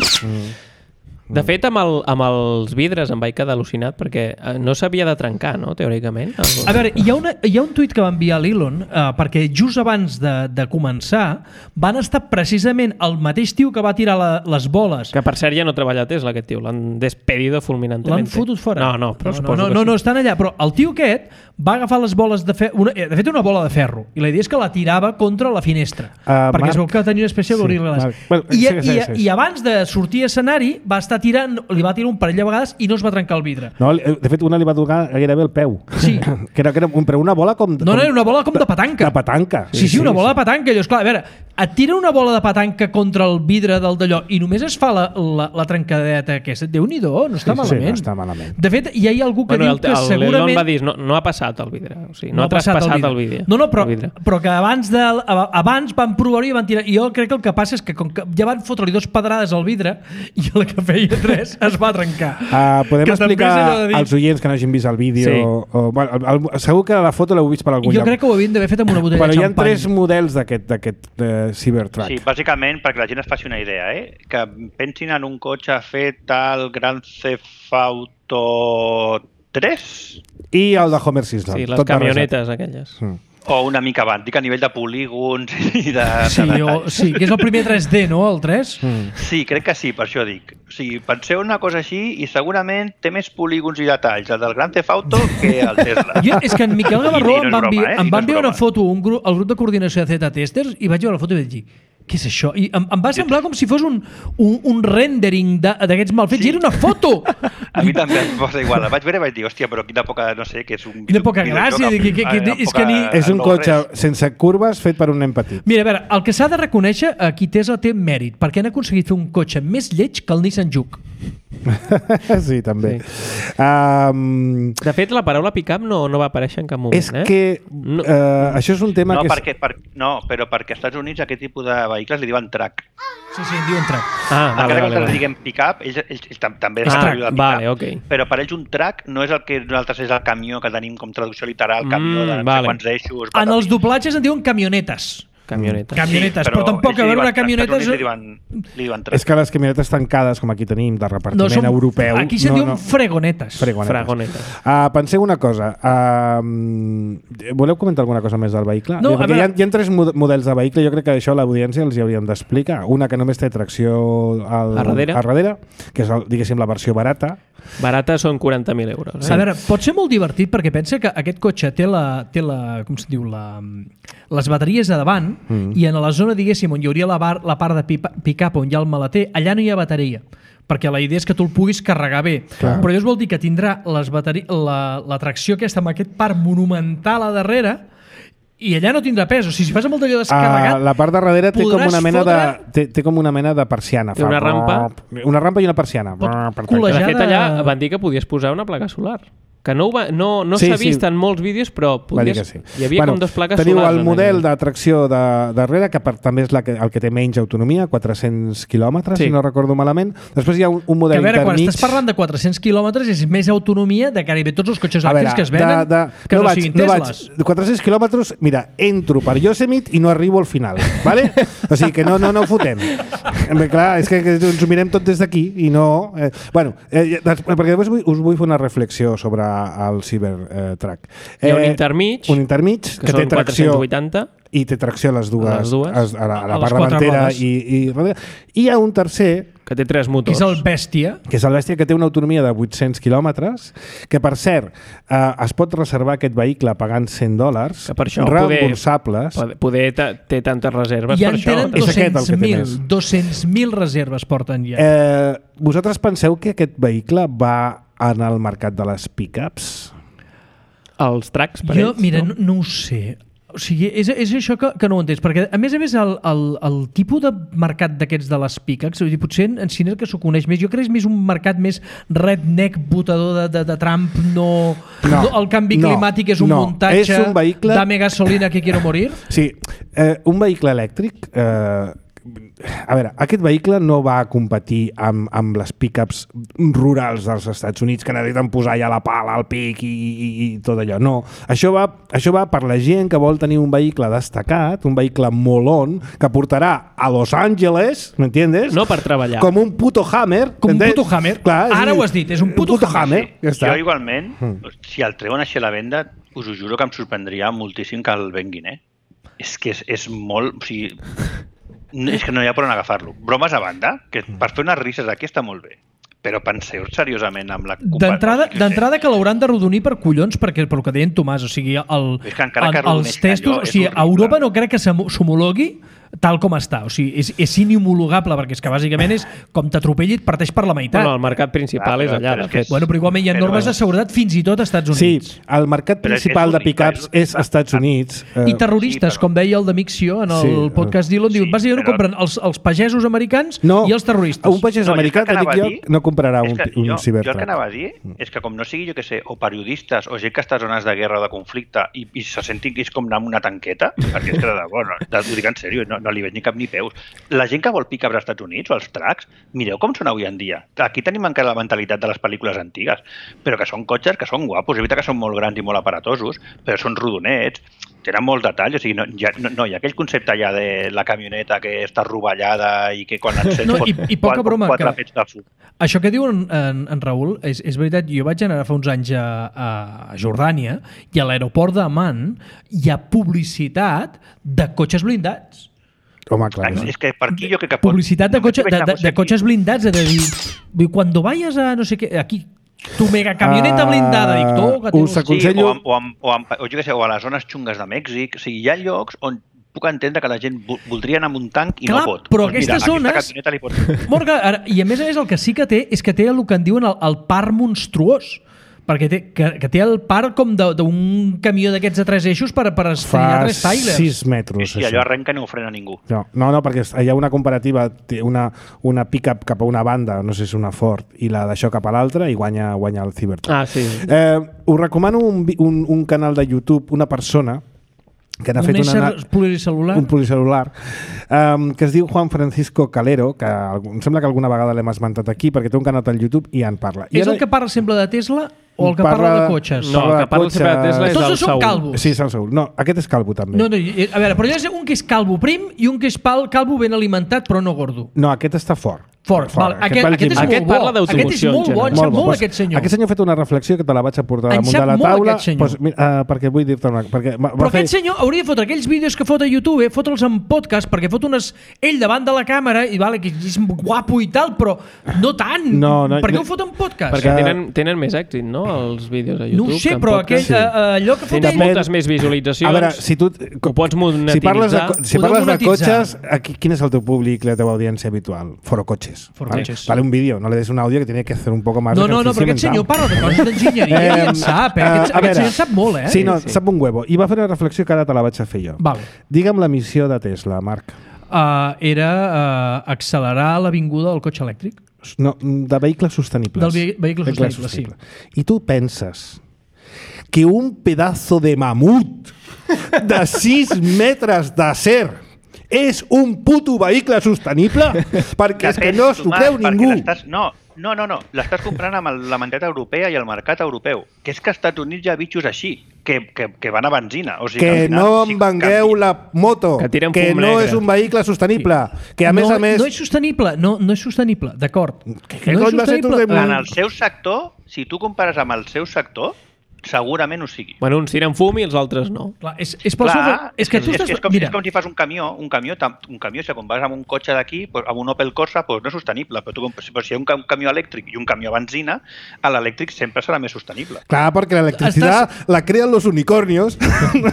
De fet, amb, el, amb els vidres em vaig quedar al·lucinat perquè eh, no s'havia de trencar, no?, teòricament. El... A veure, hi ha, una, hi ha un tuit que va enviar l'Elon eh, perquè just abans de, de començar van estar precisament el mateix tio que va tirar la, les boles. Que per cert ja no treballa a Tesla, aquest tio. L'han despedido fulminantemente. L'han fotut fora. No, no, però no, suposo no, que no, sí. no, estan allà. Però el tio aquest va agafar les boles de ferro, una, de fet una bola de ferro, i la idea és que la tirava contra la finestra, Uh, perquè Marc- es veu que tenia una espècie Sí, d'aurígles. Marc. Bueno, I, segueix, i, segueix, segueix. I abans de sortir a escenari va estar tirant, li va tirar un parell de vegades i no es va trencar el vidre. No, de fet, una li va tocar gairebé el peu. Sí. que era, que era un, però una bola com... No, no, era una bola com de petanca. De petanca. Sí, sí, una bola de petanca. Allò, esclar, a veure, et tira una bola de petanca contra el vidre del d'allò i només es fa la, la, la trencadeta aquesta. Déu-n'hi-do, no està Sí, sí, malament. no està malament. De fet, hi ha algú que Bueno, diu que el, el segurament... Elon va dir, no, no ha passat el vidre. O sigui, no, ha ha traspassat el vidre. No, no, però, el vidre. però que abans, de, abans van provar-ho i van tirar... I jo crec que el que passa és que com que ja van fotre-li dos pedrades al vidre i el que feia tres es va trencar. Uh, podem Que també explicar és allò de dir- als oients que no hagin vist el vídeo... Sí. O, bueno, el, el, segur que la foto l'heu vist per algun Jo lloc. crec que ho havien d'haver fet amb una botella Però de hi ha xampany. tres models d'aquest d'aquest uh, Cybertruck. Sí, bàsicament perquè la gent es faci una idea, eh? Que pensin en un cotxe fet al Grand Theft Auto tres I el de Homer Simpson. Sí, les tot camionetes aquelles. barrejat. Mm. o una mica abans, dic a nivell de polígons i de, Sí, de o, detalls. sí, que és el primer tres D, no? El tres? Mm. Sí, crec que sí, per això dic. O sigui, penseu una cosa així i segurament té més polígons i detalls el del Grand Theft Auto que el Tesla. Jo, és que en Miquel Gavarró I no em és va enviar, broma, eh? em I va no és enviar una broma. foto, un grup, el grup de coordinació de Z-Testers, i vaig veure la foto i vaig dir, què és això? I em, em va semblar com si fos un, un, un rendering de- d'aquests mal fets, Sí. i era una foto! A mi també em posa igual. El vaig veure i vaig dir, hòstia, però quina poca, no sé, que és un... Quina poca videojoc gràcia, amb- que- que- que- amb és que poca- ni- És un no cotxe res. sense curves fet per un nen petit. Mira, a veure, el que s'ha de reconèixer, aquí Tesla té mèrit, perquè han aconseguit fer un cotxe més lleig que el Nissan Juke. Sí, també. Sí. Um, De fet, la paraula pick-up no, no va aparèixer en cap moment. és eh? que No. uh, això és un tema No, que... És... perquè, per, no, però perquè als Estats Units aquest tipus de vehicles li diuen truck. Sí, sí, en diuen track. Ah, Encara vale, que vale, els vale. diguem pick-up, ells, ells, ells tam- també Ah, saben de pick-up. vale, ok. Però per ells un truck no és el que nosaltres és el camió que tenim com traducció literal, camió de Mm, no vale. sé quants eixos... En els patatis. doblatges en diuen camionetes. Camionetes. Camionetes, però tampoc, ells a li veure, diuen- una camioneta als és- Estats Units Li diuen, li diuen truck. És que les camionetes tancades, com aquí tenim, de repartiment No, són, europeu... aquí se'n no, diuen no. fregonetes. Fregonetes. Fragonetes. Uh, penseu una cosa. Uh, voleu comentar alguna cosa més del vehicle? No, Perquè a veure- hi, ha, hi ha tres mod- models de vehicle. Jo crec que això a l'audiència els hi hauríem d'explicar. Una que només té tracció al, A darrere. a darrere, que és, el, diguéssim, la versió barata. Barata són quaranta mil euros. Eh? A veure, pot ser molt divertit perquè pensa que aquest cotxe té la, té la com se diu, la, les bateries a davant mm. i en la zona, diguéssim, on hi hauria la, bar, la part de pick-up on hi ha el maleter, allà no hi ha bateria perquè la idea és que tu el puguis carregar bé. Clar. Però llavors vol dir que tindrà les bateri la, la tracció aquesta amb aquest parc monumental a darrere i allà no tindrà pes. O sigui, si fas amb el d'allò descarregat... Uh, la part de darrere té com podràs una mena fotre- de té, té com una mena de persiana. Té una rampa. Una rampa i una persiana. Pot Per colejar De fet, de- allà van dir que podies posar una placa solar. Que no, ho va, no, no Sí, s'ha sí. vist en molts vídeos, però Va dir podies, que sí. hi havia Bueno, com dos plaques teniu solars. el en model allà. de tracció de darrere, que per, també és la que, el que té menys autonomia, quatre-cents quilòmetres, Sí. si no recordo malament. Després hi ha un, un Que model a veure, quan intermig. estàs parlant de quatre-cents quilòmetres és més autonomia de gairebé tots els cotxes A veure, elèctrics que es venen de, de, que no, no, no vaig, siguin no vaig, Tesles. de quatre-cents quilòmetres, mira, entro per Yosemite i no arribo al final, ¿vale? O sigui que no, no, no ho fotem. Bé, clar, és que, que ens ho mirem tot des d'aquí i no... Eh, bueno, eh, des, perquè després vull, us vull fer una reflexió sobre el Cybertruck. Hi ha un intermig, un intermig que, que, té són tracció quatre-cents vuitanta. i té tracció a les dues, A les dues. A, a la, a la A les part quatre davantera rodes. i, i darrere. I hi ha un tercer Que té tres Que motors. és el bèstia. que és el bèstia, que té una autonomia de vuit-cents quilòmetres, que per cert eh, es pot reservar aquest vehicle pagant cent dòlars Que per això poder- reemborsables. Poder, poder ta- té tantes reserves I per en això. tenen És aquest el que dos-cents té mil més. dos-cents mil reserves porten ja. Eh, vosaltres penseu que aquest vehicle va en el mercat de les pick-ups? Els tracks per Jo, ells, mira, no? no, no ho sé. O sigui, és, és això que, que no ho entens, perquè a més a més el, el, el tipus de mercat d'aquests de les piques, vull dir, potser en, en cine que s'ho coneix més, jo crec que és més un mercat més redneck, votador de, de, de Trump, no, No, no el canvi no, climàtic és un no, muntatge, és un vehicle- dame gasolina que quiero morir. Sí, eh, un vehicle elèctric... Eh, a veure, aquest vehicle no va a competir amb, amb les pick-ups rurals dels Estats Units que necessiten posar ja la pala al pic i, i, i tot allò. No, això va, això va per la gent que vol tenir un vehicle destacat, un vehicle molón, que portarà a Los Angeles, ¿m'entiendes? No per treballar. Com un puto Hammer. Com un ¿entens? puto Hammer. Clar, Ara sí, ho has dit, és un puto Hammer. Ja està. Jo igualment, Mm. si el treuen així a la venda, us ho juro que em sorprendria moltíssim que el venguin, eh? És que és, és molt... O sigui, no- és que no hi ha per on agafar-lo. Bromes a banda, que per fer unes risses aquí està molt bé, però penseu seriosament amb la... D'entrada d'entrada que l'hauran de rodonir per collons, perquè per el que deien Tomàs, o sigui, el, És que encara que el, els arrodoneixin testos, allò o sigui, és a horrible. Europa no crec que s'hom- s'homologui tal com està, o sigui, és, és inhomologable, perquè és que bàsicament és com t'atropelli i et parteix per la meitat. Bueno, el mercat principal Ah, és però- allà, però de és que fet. és- Bueno, però igualment hi ha Però- normes de seguretat fins i tot als Estats Sí, Units. el mercat Però és que és principal de únic, pick-ups és- és Estats Units. I Eh, terroristes, sí, però- com deia el de Mixio en el Sí, podcast d'Elon, sí, diuen, bàsicament ho però- compren els, els pagesos americans No, i els terroristes. un pagès No, jo americà, el que que dic anava jo, a dir no comprarà és un, que un jo, jo el Cybertruck. que anava a dir és que com no sigui, jo que sé, o periodistes o gent que està a zones de guerra o de conflicte i, i se sentin que és com anar amb una tanqueta, perquè és que de debò, no, de, ho dic en sèrio, no, no li veig ni cap ni peus. La gent que vol picar als Estats Units o els trucks, mireu com són avui en dia. Aquí tenim encara la mentalitat de les pel·lícules antigues, però que són cotxes que són guapos, és veritat que són molt grans i molt aparatosos, però són rodonets, tenen molts detalls, o sigui, no, ja, no, no hi ha aquell concepte ja de la camioneta que està rovellada i que quan l'encens No, pot i- i poca quatre, broma, quatre que- pets de fum. Això que diu en, en, en Raül és, és veritat. Jo vaig anar fa uns anys a, a Jordània i a l'aeroport d'Amman hi ha publicitat de cotxes blindats. Home, clar. Ah, sí. és que per aquí jo crec que pot... Publicitat de, cotxe, de, de, de cotxes blindats. És a dir, vull dir, quan vayas a no sé què, aquí, tu mega camioneta Ah, blindada, dic, toca, us tio. aconsello- Sí, o, amb, o, amb, o, amb, o, jo què sé, o a les zones xungues de Mèxic. O sigui, hi ha llocs on puc entendre que la gent vo- voldria anar amb un tanc i Clar, no pot. però Doncs mira, aquestes zones- Aquesta camioneta li pot... Morga, ara, i a més a més el que sí que té és que té el que en diuen el, el parc monstruós. perquè té, que, que té el par com d'un camió d'aquests de tres eixos per, per estrenar tres trailers. Fa sis metres, sí, sí, allò arrenca i no ho frena ningú. No, no, no, perquè hi ha una comparativa, una, una pick-up cap a una banda, no sé si és una Ford, i la d'això cap a l'altra, i guanya, guanya el Cybertruck. Ah, sí. Eh, us recomano un, un, un canal de YouTube, una persona que n'ha fet una, pluricel·lular? un pluricel·lular um, que es diu Juan Francisco Calero, que em sembla que alguna vegada l'hem esmentat aquí perquè té un canal al YouTube i en parla. I és ara... el que parla sempre de Tesla o el que parla, parla de cotxes? No, el que parla sempre de Tesla és Tots el són Saúl. calvos. Sí, és el Saúl. No, aquest és calvo també. No, no, a veure, però hi ha un que és calvo prim i un que és pal, calvo ben alimentat però no gordo. No, aquest està fort. Fort. Fort. Val, aquest, aquest, és aquest molt bo. parla d'automoció, Aquest és molt bo, en en sap Molt bo. molt Pues, aquest senyor. Aquest senyor ha fet una reflexió que te la vaig aportar En damunt sap de la molt taula. aquest senyor. Pues, mira, uh, perquè vull dir-te una perquè va, Però va fer... aquest senyor hauria de fotre aquells vídeos que fot a YouTube, eh, fotre'ls en podcast, perquè fot unes ell davant de la càmera i vale, que és guapo i tal, però no tant. No, no, per què no. ho fot en podcast? Perquè tenen, tenen més èxit, no?, els vídeos a YouTube. No ho sé, que en però podcast. aquell, uh, allò que fot Tens ell... moltes més visualitzacions. A veure, si tu... Ho pots monetitzar. Si parles de, si Podeu parles de monetitzar. cotxes, aquí, quin és el teu públic, la teva audiència habitual? Foro coches. Foro ¿vale? coches. Vale un vídeo, no le des un audio que tiene que hacer un poco más No, de no, no, ejercicio però aquest mental. senyor parla de coses d'enginyeria i en sap, eh? Aquest, a aquest veure, senyor en sap molt, eh? Sí, no, Sí, sí. sap un huevo. I va fer una reflexió que ara te la vaig a fer jo. Vale. Digue'm la missió de Tesla, Marc. Uh, era uh, accelerar l'avinguda del cotxe elèctric. No, de vehicles sostenibles. Del ve vehicle sostenible, sí. I tu penses que un pedazo de mamut de sis metres d'acer és un puto vehicle sostenible? Perquè és que no s'ho creu ningú. No, no, no, no. L'estàs comprant amb el, la mentalitat europea i el mercat europeu. Que és que als Estats Units hi ha bitxos així, que, que, que van a benzina. O sigui, Que, que no em vengueu la moto, Que tiren que fum no negre. és un vehicle sostenible, que a no, més a més... No és sostenible, no, no és sostenible, d'acord. què No és cony va ser tu sostenible. de- En el seu sector, si tu compares amb el seu sector, segurament ho sigui. Bueno, uns tiren fum i els altres no. Clar, és, és, pel Clar, seu... és que tu és, estàs... és, com, Mira, és com si fas un camió, un camió, tam- un camió, si compares amb un cotxe d'aquí, pues, amb un Opel Corsa, pues, no és sostenible, però, tu, però si hi ha un, ca- un camió elèctric i un camió a benzina, a l'elèctric sempre serà més sostenible. Clar, perquè l'electricidad la crean los unicornios.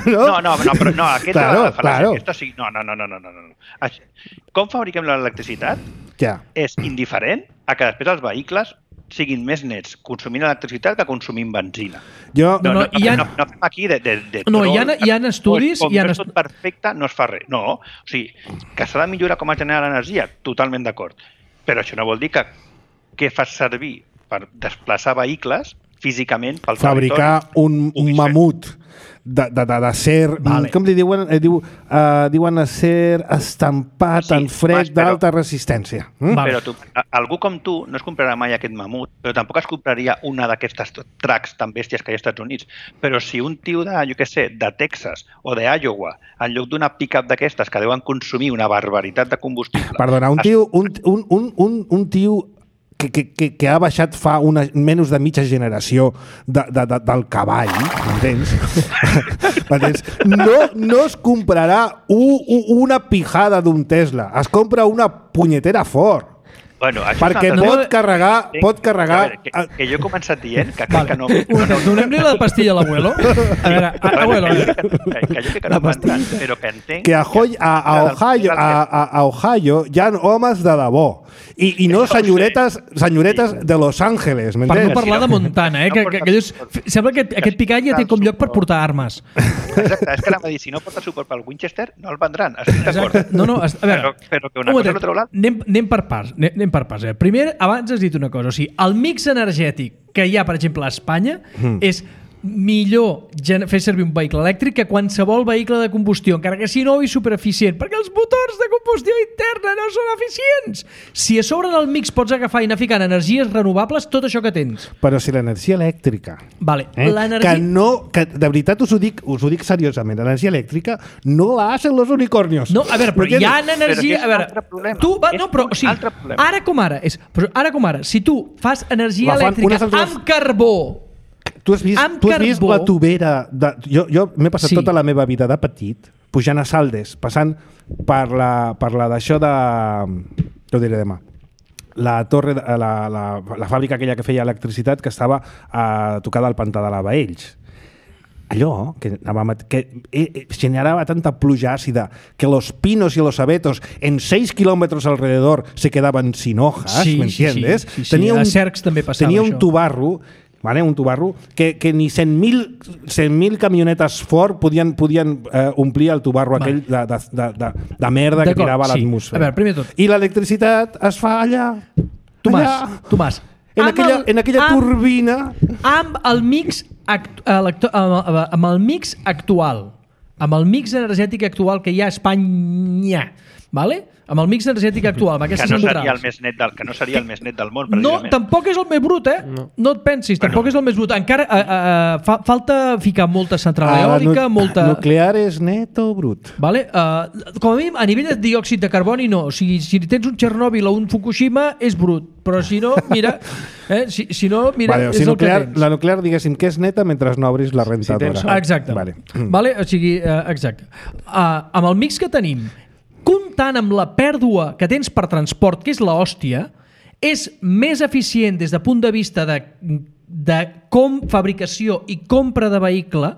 No, No, no, no, però no, aquesta Claro, és la fal·làcia, claro. aquesta sí. No, no, no, no, no, no. no. Això- Com fabriquem l'electricitat Ja. és indiferent a que després els vehicles siguin més nets consumint electricitat que consumint benzina. Jo, No, No, no, no, hi ha- no, no fem aquí de, de, de No, hi ha- troll, hi ha estudis, Com hi ha no és est- tot perfecte, no es fa res. No, o sigui, que s'ha de millorar com es genera l'energia, totalment d'acord. Però això no vol dir que què fas servir per desplaçar vehicles físicament pel fabricar territori un, un puguis fer. mamut de, de, de, de ser, Vale. com li diuen? Eh, diu, uh, diuen acer estampat Sí, en fred Mas, però- d'alta resistència. Mm? Vale. Però tu, a- algú com tu no es comprarà mai aquest mamut, però tampoc es compraria una d'aquestes trucks tan bèsties que hi ha als Estats Units. Però si un tio de, jo què sé, de Texas o d'Iowa, en lloc d'una pick-up d'aquestes que deuen consumir una barbaritat de combustible... Perdona, un es- tio, un, un, un, un, un tio que, que, que, que ha baixat fa una, menys de mitja generació de, de, de, del cavall, m'entens? M'entens? No, no es comprarà u, u, una pijada d'un Tesla, es compra una punyetera Ford. Bueno, això és Perquè una altra pot cosa. carregar, Sí, pot carregar... a veure, que, que jo he començat dient que crec Vale. que no... Un moment, donem-li la pastilla a l'abuelo. A veure, a, abuelo, a veure. Que, que jo crec que no m'entran, però que entenc... que a, Hoy, a, a, Ohio, a, a, a Ohio hi ha homes de debò i, i no senyoretes, senyoretes de Los Angeles, Per no m'entens? parlar de Montana, eh? Que, que, que dius, sembla que aquest picall ja té com lloc per portar armes. Exacte, és que anava a dir, si no porta suport pel Winchester, no el vendran, estic d'acord. Exacte. No, no, a veure, Però, però que una un cosa momentet, no treu l'altra. anem, anem per parts. Anem, anem per parts. Eh? Primer, abans has dit una cosa. O sigui, el mix energètic que hi ha, per exemple, a Espanya mm. és millor gen- fer servir un vehicle elèctric que qualsevol vehicle de combustió, encara que sigui nou i supereficient, perquè els motors de combustió interna no són eficients. Si a sobre del mix pots agafar i anar ficant energies renovables, tot això que tens. Però si l'energia elèctrica... Vale, Eh? l'energia... Que no, que de veritat us ho dic, us ho dic seriosament, l'energia elèctrica no la hacen los unicornios. No, a veure, però hi ha energia... és A un veure, altre problema. tu, va, És no, però, un o sigui, altre problema. ara com ara, és, però ara com ara, si tu fas energia La fan elèctrica unes altres- amb carbó, Tu has vist, Amb tu has vist carbó. la tubera... De, jo jo m'he passat Sí. tota la meva vida de petit pujant a Saldes, passant per la, per la d'això de... Què ho diré demà? La torre, de- la, la, la fàbrica aquella que feia electricitat que estava a tocar del pantà de la Baells. Allò que, anàvem a- que eh, eh, generaba tanta pluja àcida que los pinos y los abetos en seis kilómetros alrededor se quedaban sin hojas, Sí, ¿me sí, sí, entiendes? sí, sí. A Cercs també passava Tenia un això. tubarro vale? Un tubarro que, que ni cent mil camionetes Ford podien, podien eh, omplir el tubarro vale. aquell de, de, de, de, de merda que tirava a sí. l'atmosfera. A veure, primer tot. I l'electricitat es fa allà. Tomàs, allà, Tomàs. En aquella, el, en aquella amb, turbina. Amb el mix act, electo, amb el mix actual, amb el mix energètic actual que hi ha a Espanya, vale? Amb el mix energètic actual, amb aquestes que no centrals. seria el més net del, que no seria el més net del món, No, tampoc és el més brut, eh? No, no et pensis, tampoc bueno. és el més brut. Encara uh, uh, fa, falta ficar molta central eòlica, nu molta... Nuclear és net o brut? Vale? Uh, com a mínim, a nivell de diòxid de carboni, no. O sigui, si tens un Txernòbil o un Fukushima, és brut. Però si no, mira... Eh? Si, si no, mira, vale, o és sigui, el nuclear, que tens. La nuclear, diguéssim, que és neta mentre no obris la rentadora. Si exacte. Vale. Vale? O sigui, uh, exacte. Uh, amb el mix que tenim, comptant amb la pèrdua que tens per transport, que és l'hòstia, és més eficient des de punt de vista de, de com fabricació i compra de vehicle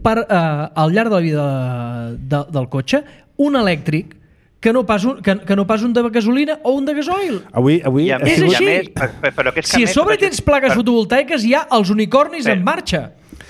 per, eh, al llarg de la vida de, de, del cotxe, un elèctric que no, pas un, que, que no pas un de gasolina o un de gasoil. Avui, avui a és més, així. Més, però, però que és que si a més, sobre perquè, tens plaques per... fotovoltaiques, hi ha els unicornis per... en marxa.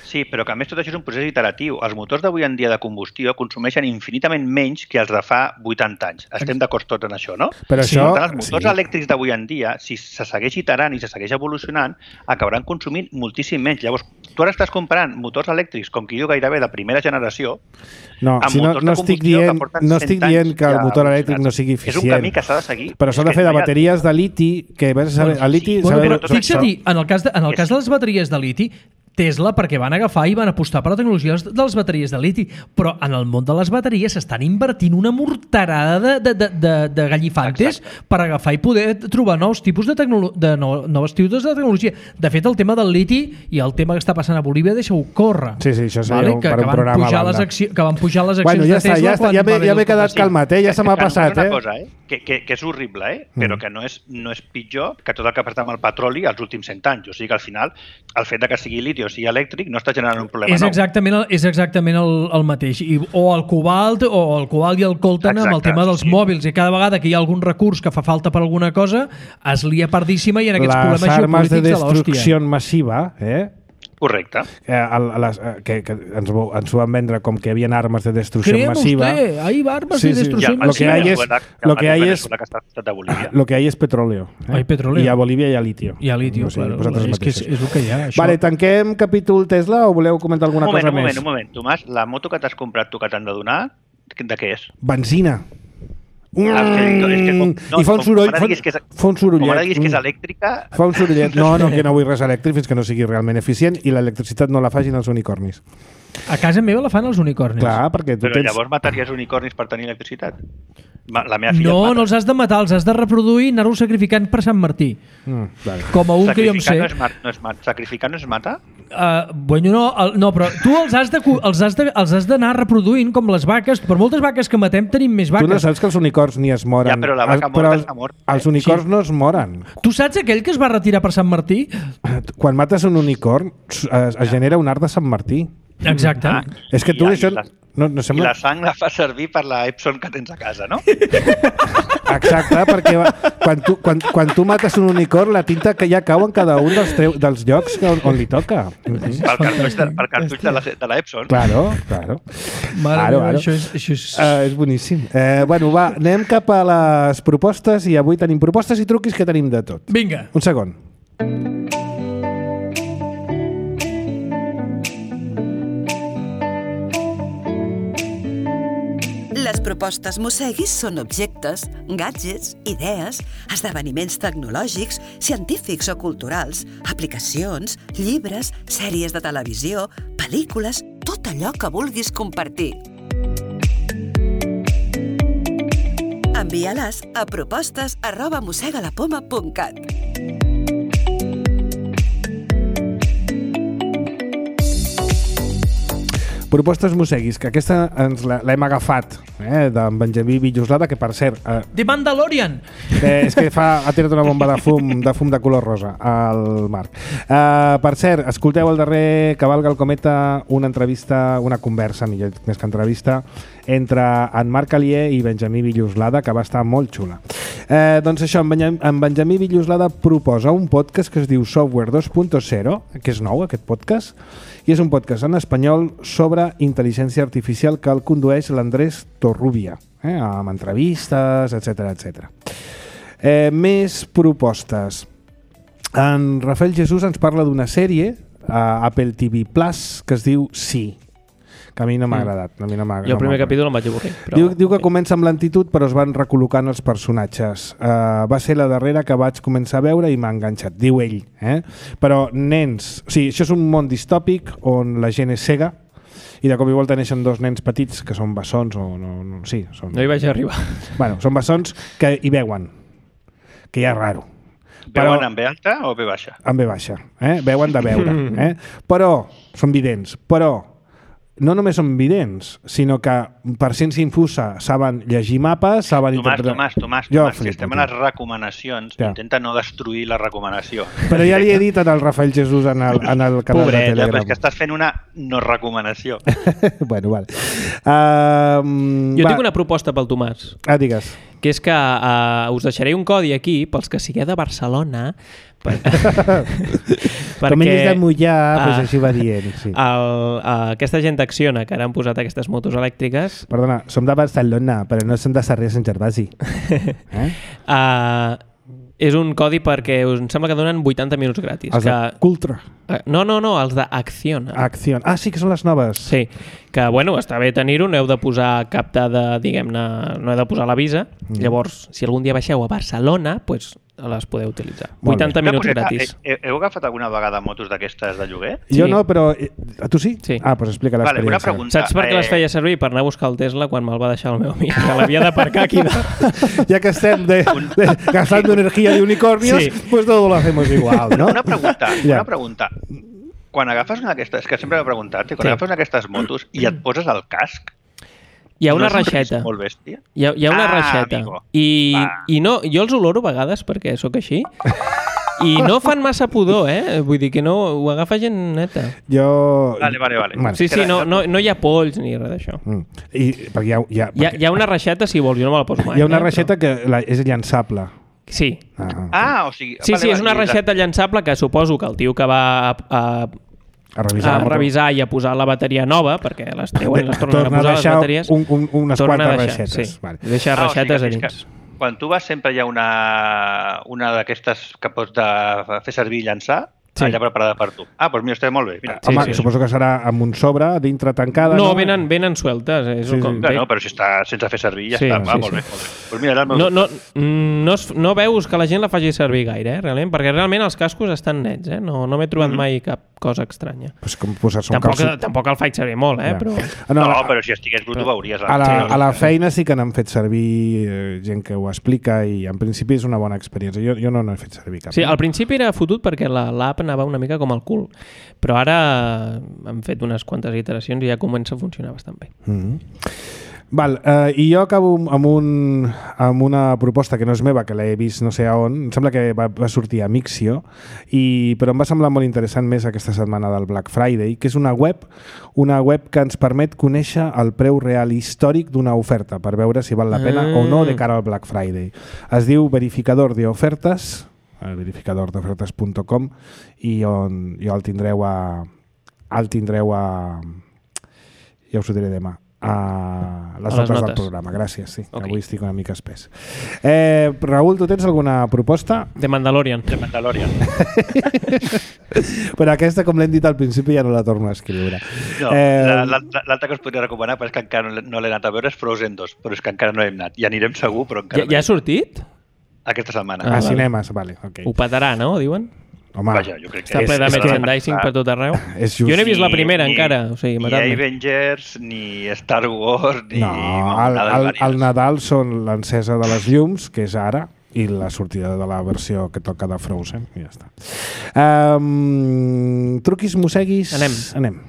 Sí, però que a més tot això és un procés iteratiu. Els motors d'avui en dia de combustió consumeixen infinitament menys que els de fa vuitanta anys. Estem d'acord tots en això, no? Però sí. això... Els motors sí. elèctrics d'avui en dia, si se segueix iterant i se segueix evolucionant, acabaran consumint moltíssim menys. Llavors, tu ara estàs comparant motors elèctrics, com qui diu gairebé de primera generació, no, si no, no estic dient, no estic dient que el motor elèctric no sigui eficient. És un camí que s'ha de seguir. Però s'ha de fer de bateries de liti, que vas a saber, el liti... Bueno, saber, però fixa-t'hi, en el cas de, en el cas de les bateries de liti, Tesla, perquè van agafar i van apostar per la tecnologia de les bateries de liti, però en el món de les bateries s'estan invertint una morterada de, de, de, de, de gallifantes Exacte. per agafar i poder trobar nous tipus de, de no, noves tipus de tecnologia. De fet, el tema del liti i el tema que està passant a Bolívia, deixa-ho córrer. Sí, sí, això seria vale? un, que, per un que van programa pujar les accions, que van pujar les accions bueno, ja de Tesla està, ja està, quan ja m'he ja quedat calmat, eh? Ja se m'ha passat, una eh? Cosa, eh? Que, que, que és horrible, eh? Mm. Però que no és, no és pitjor que tot el que ha passat amb el petroli els últims cent anys. O sigui que al final, el fet de que sigui liti o sigui elèctric no està generant un problema és nou. exactament el, és exactament el, el mateix. I, o el cobalt, o el cobalt i el coltan Exacte, amb el tema dels sí. mòbils. I cada vegada que hi ha algun recurs que fa falta per alguna cosa, es lia pardíssima i en aquests les problemes geopolítics de l'hòstia. Les armes de destrucció massiva, eh? Correcte. Eh, a les, eh, que, que ens, ens ho van vendre com que hi havia armes de destrucció Creemos massiva. Usted, hay armas sí, de destrucción sí. masiva. Lo que hay es, lo que hay es, lo que hay es petróleo. Eh? Hay petróleo. I a Bolívia hi ha litio. Hi ha litio, no sé, claro. És que és, és el que hi ha. Això. Vale, tanquem capítol Tesla o voleu comentar alguna un moment, cosa un més? Un moment, un moment. Tomàs, la moto que t'has comprat tu que t'han de donar, de què és? Benzina. Mm, ah, és que, és que, com, no, I fa un soroll, fa, que és, fa un sorollet. Com ara diguis que és elèctrica... Fa un sorollet. No, no, que no vull res elèctric fins que no sigui realment eficient i l'electricitat no la facin els unicornis. A casa meva la fan els unicornis. Clar, perquè tu Però tens... llavors mataries unicornis per tenir electricitat? La meva filla no, no els has de matar, els has de reproduir i anar-los sacrificant per Sant Martí. Mm, vale. Com a un que jo em sé. No és mat, no és mat. Sacrificar no es mata? Uh, bueno, no, el, no, però tu els has de, els has de, els has d'anar reproduint com les vaques. Per moltes vaques que matem tenim més vaques. Tu no saps que els unicorns ni es moren. Ja, però la vaca morta els, està mort. Els unicorns sí. no es moren. Tu saps aquell que es va retirar per Sant Martí? Quan mates un unicorn es, es genera un art de Sant Martí. Exacte. Ah, és que tu i, això... I la, no, no sembla... I la sang la fa servir per la Epson que tens a casa, no? Exacte, perquè quan tu, quan, quan tu mates un unicorn, la tinta que ja cau en cada un dels, teu, dels llocs on, on li toca. Mm-hmm. Pel cartutx de, pel cartutx de la, de la Epson. Claro, claro. Mare claro, meva, claro. això és... Això és... Uh, és boníssim. Uh, bueno, va, anem cap a les propostes i avui tenim propostes i truquis que tenim de tot. Vinga. Un segon. Les propostes Mosseguis són objectes, gadgets, idees, esdeveniments tecnològics, científics o culturals, aplicacions, llibres, sèries de televisió, pel·lícules, tot allò que vulguis compartir. Envia-les a propostes arroba mossegalapoma punt cat. Propostes Mosseguis, que aquesta ens l'hem agafat, eh, d'en Benjamí Villoslada, que per cert... Eh, The Mandalorian! Eh, és que fa, ha tirat una bomba de fum de fum de color rosa al Marc. Eh, per cert, escolteu el darrer Cavalga el Cometa, una entrevista, una conversa, millor més que entrevista, entre en Marc Alier i Benjamí Villoslada, que va estar molt xula. Eh, doncs això, en Benjamí, en Benjamí Villoslada proposa un podcast que es diu Software dos punt zero, que és nou aquest podcast, i és un podcast en espanyol sobre intel·ligència artificial que el condueix l'Andrés Torrubia, eh, amb entrevistes, etcètera, etcètera. Eh, més propostes. En Rafael Jesús ens parla d'una sèrie a Apple T V Plus que es diu Sí, que a mi no m'ha agradat. A mi no m'ha, Jo el no primer m'ha capítol em vaig avorrir. Però... Diu, diu que comença amb lentitud però es van recol·locant els personatges. Uh, va ser la darrera que vaig començar a veure i m'ha enganxat, diu ell. Eh? Però nens... O sigui, això és un món distòpic on la gent és cega i de cop i volta neixen dos nens petits que són bessons o no... no sí, són... No hi vaig arribar. Bueno, són bessons que hi veuen, que ja és raro. Veuen en B alta o B baixa? En B baixa, eh? Veuen de veure. Eh? Però són vidents. Però no només són vidents, sinó que per ciència infusa saben llegir mapes, saben Tomàs, interpretar... Tomàs, Tomàs, Jo Tomàs, si flipo, estem tio. a les recomanacions, Ja. intenta no destruir la recomanació. Però ja li he dit en el Rafael Jesús en el, en el canal Pobret, de Ja, però Telegram. és que estàs fent una no recomanació. Bueno, vale. Uh, Jo va. tinc una proposta pel Tomàs, Ah, digues. que és que uh, us deixaré un codi aquí pels que sigueu de Barcelona per... Com ell és de mullar, Ah. doncs així va dient. Sí. el, uh, aquesta gent d'Acciona que ara han posat aquestes motos elèctriques Perdona, som de Barcelona, però no som de Sarrià Sant Gervasi. Eh? uh, és un codi perquè us, em sembla que donen vuitanta minuts gratis. Els de que... Cultra. Uh, no, no, no, els d'Acciona. Acció. Ah, sí que són les noves. Sí, que bueno, està bé tenir-ho, no heu de posar cap dada, diguem-ne, no heu de posar la visa. Mm. Llavors, si algun dia baixeu a Barcelona, pues, les podeu utilitzar. Molt vuitanta Una minuts coseta, gratis. he- he- Heu agafat alguna vegada motos d'aquestes de lloguer? Jo Sí. no, però... eh, Tu sí? Sí. Ah, doncs explica Vale, una l'experiència. pregunta. Saps per què les Eh, feia servir? Per anar a buscar el Tesla quan me'l va deixar el meu amic, que l'havia d'aparcar aquí. De... Ya que estem de, de, gastando energía de unicornios, Sí. pues todo lo hacemos igual, ¿no? Una pregunta, Ja. una pregunta. Quan agafes una d'aquestes, que sempre m'he preguntat, quan Sí. agafes una d'aquestes motos i et poses el casc, Hi ha una no és un risc reixeta. molt bèstia? Hi ha, hi ha una Ah, reixeta. amigo. I, Va. I no, jo els oloro a vegades perquè sóc així. I no fan massa pudor, eh? Vull dir que no, ho agafa gent neta. Jo... Vale, vale, vale. Bueno, Sí, sí, no, no, no hi ha polls ni res d'això. mm. I, perquè hi ha, hi ha, Hi ha, hi ha una reixeta, si vols, jo no me la poso mai. hi ha una eh, reixeta que la, és llançable. Però... Sí. Ah, Ah, o sigui... Sí, vale, sí, és vale, una i la- reixeta llançable que suposo que el tio que va a, a, a revisar. a la moto. revisar i a posar la bateria nova, perquè les treuen i les tornen a Torna a posar les deixar bateries, un, un, unes tornen a quantes deixar, reixetes. sí. Vale. Deixa Ah, o sigui reixetes que a és que dins. Quan tu vas sempre hi ha una, una d'aquestes que pots de fer servir i llançar, Sí. allà preparada per tu. Ah, doncs mira, està molt bé. Mira. Sí, Home, sí. suposo que serà amb un sobre, dintre tancada, no? No, venen, venen sueltes. És Sí, un com... sí. No, no, però si està sense fer servir ja Sí, està. Va, sí, molt sí. bé, molt bé. Doncs mira, era el meu... No, no, no, es, no veus que la gent la faci servir gaire, eh, realment, perquè realment els cascos estan nets, eh? No, no m'he trobat mai cap cosa estranya. Pues com posar-se un Tampoc, calçot. tampoc el faig servir molt, eh? Ja. Però... Ah, no, No, a, però si estigués brut ho veuries. a, la, Sí, a la feina sí que n'han fet servir eh, gent que ho explica i en principi és una bona experiència. Jo, jo no n'he fet servir cap. Sí, al principi era fotut perquè la- l'app anava una mica com el cul, però ara hem fet unes quantes iteracions i ja comença a funcionar bastant bé. Mm -hmm. Val, eh, i jo acabo amb, un, amb una proposta que no és meva, que l'he vist no sé a on, em sembla que va, va sortir a Mixio, i, però em va semblar molt interessant més aquesta setmana del Black Friday, que és una web, una web que ens permet conèixer el preu real històric d'una oferta per veure si val la pena Ah. o no de cara al Black Friday. Es diu verificador de ofertes, el verificador de ofertes punt com, i on jo el tindreu a el tindreu a ja us ho diré demà a les A les notes del notes. programa, gràcies, sí, Ok. avui estic una mica espès. Eh, Raül, tu tens alguna proposta? De Mandalorian. De Mandalorian. Però aquesta, com l'hem dit al principi, ja no la torno a escriure. No, Eh, la- la- l'altra que us podria recomanar, però és que encara no l'he- no l'he anat a veure, és Frozen dos, però és que encara no hem anat. I anirem segur, però encara Ja, no ja hem ha sortit? anat. Aquesta setmana. a vale. cinemes, vale, ok. Ho petarà, no? Diuen? Home, Vaja, jo crec que Està és- ple de és merchandising la- per tot arreu. és Jo just. no he vist la Ni- primera ni- encara, o sigui, Ni matar-me. Avengers, ni Star Wars, ni... No, el, nada el, el Nadal són l'encesa de les llums, que és ara, i la sortida de la versió que toca de Frozen, i ja està. Um, truquis, mosseguis... Anem. Anem.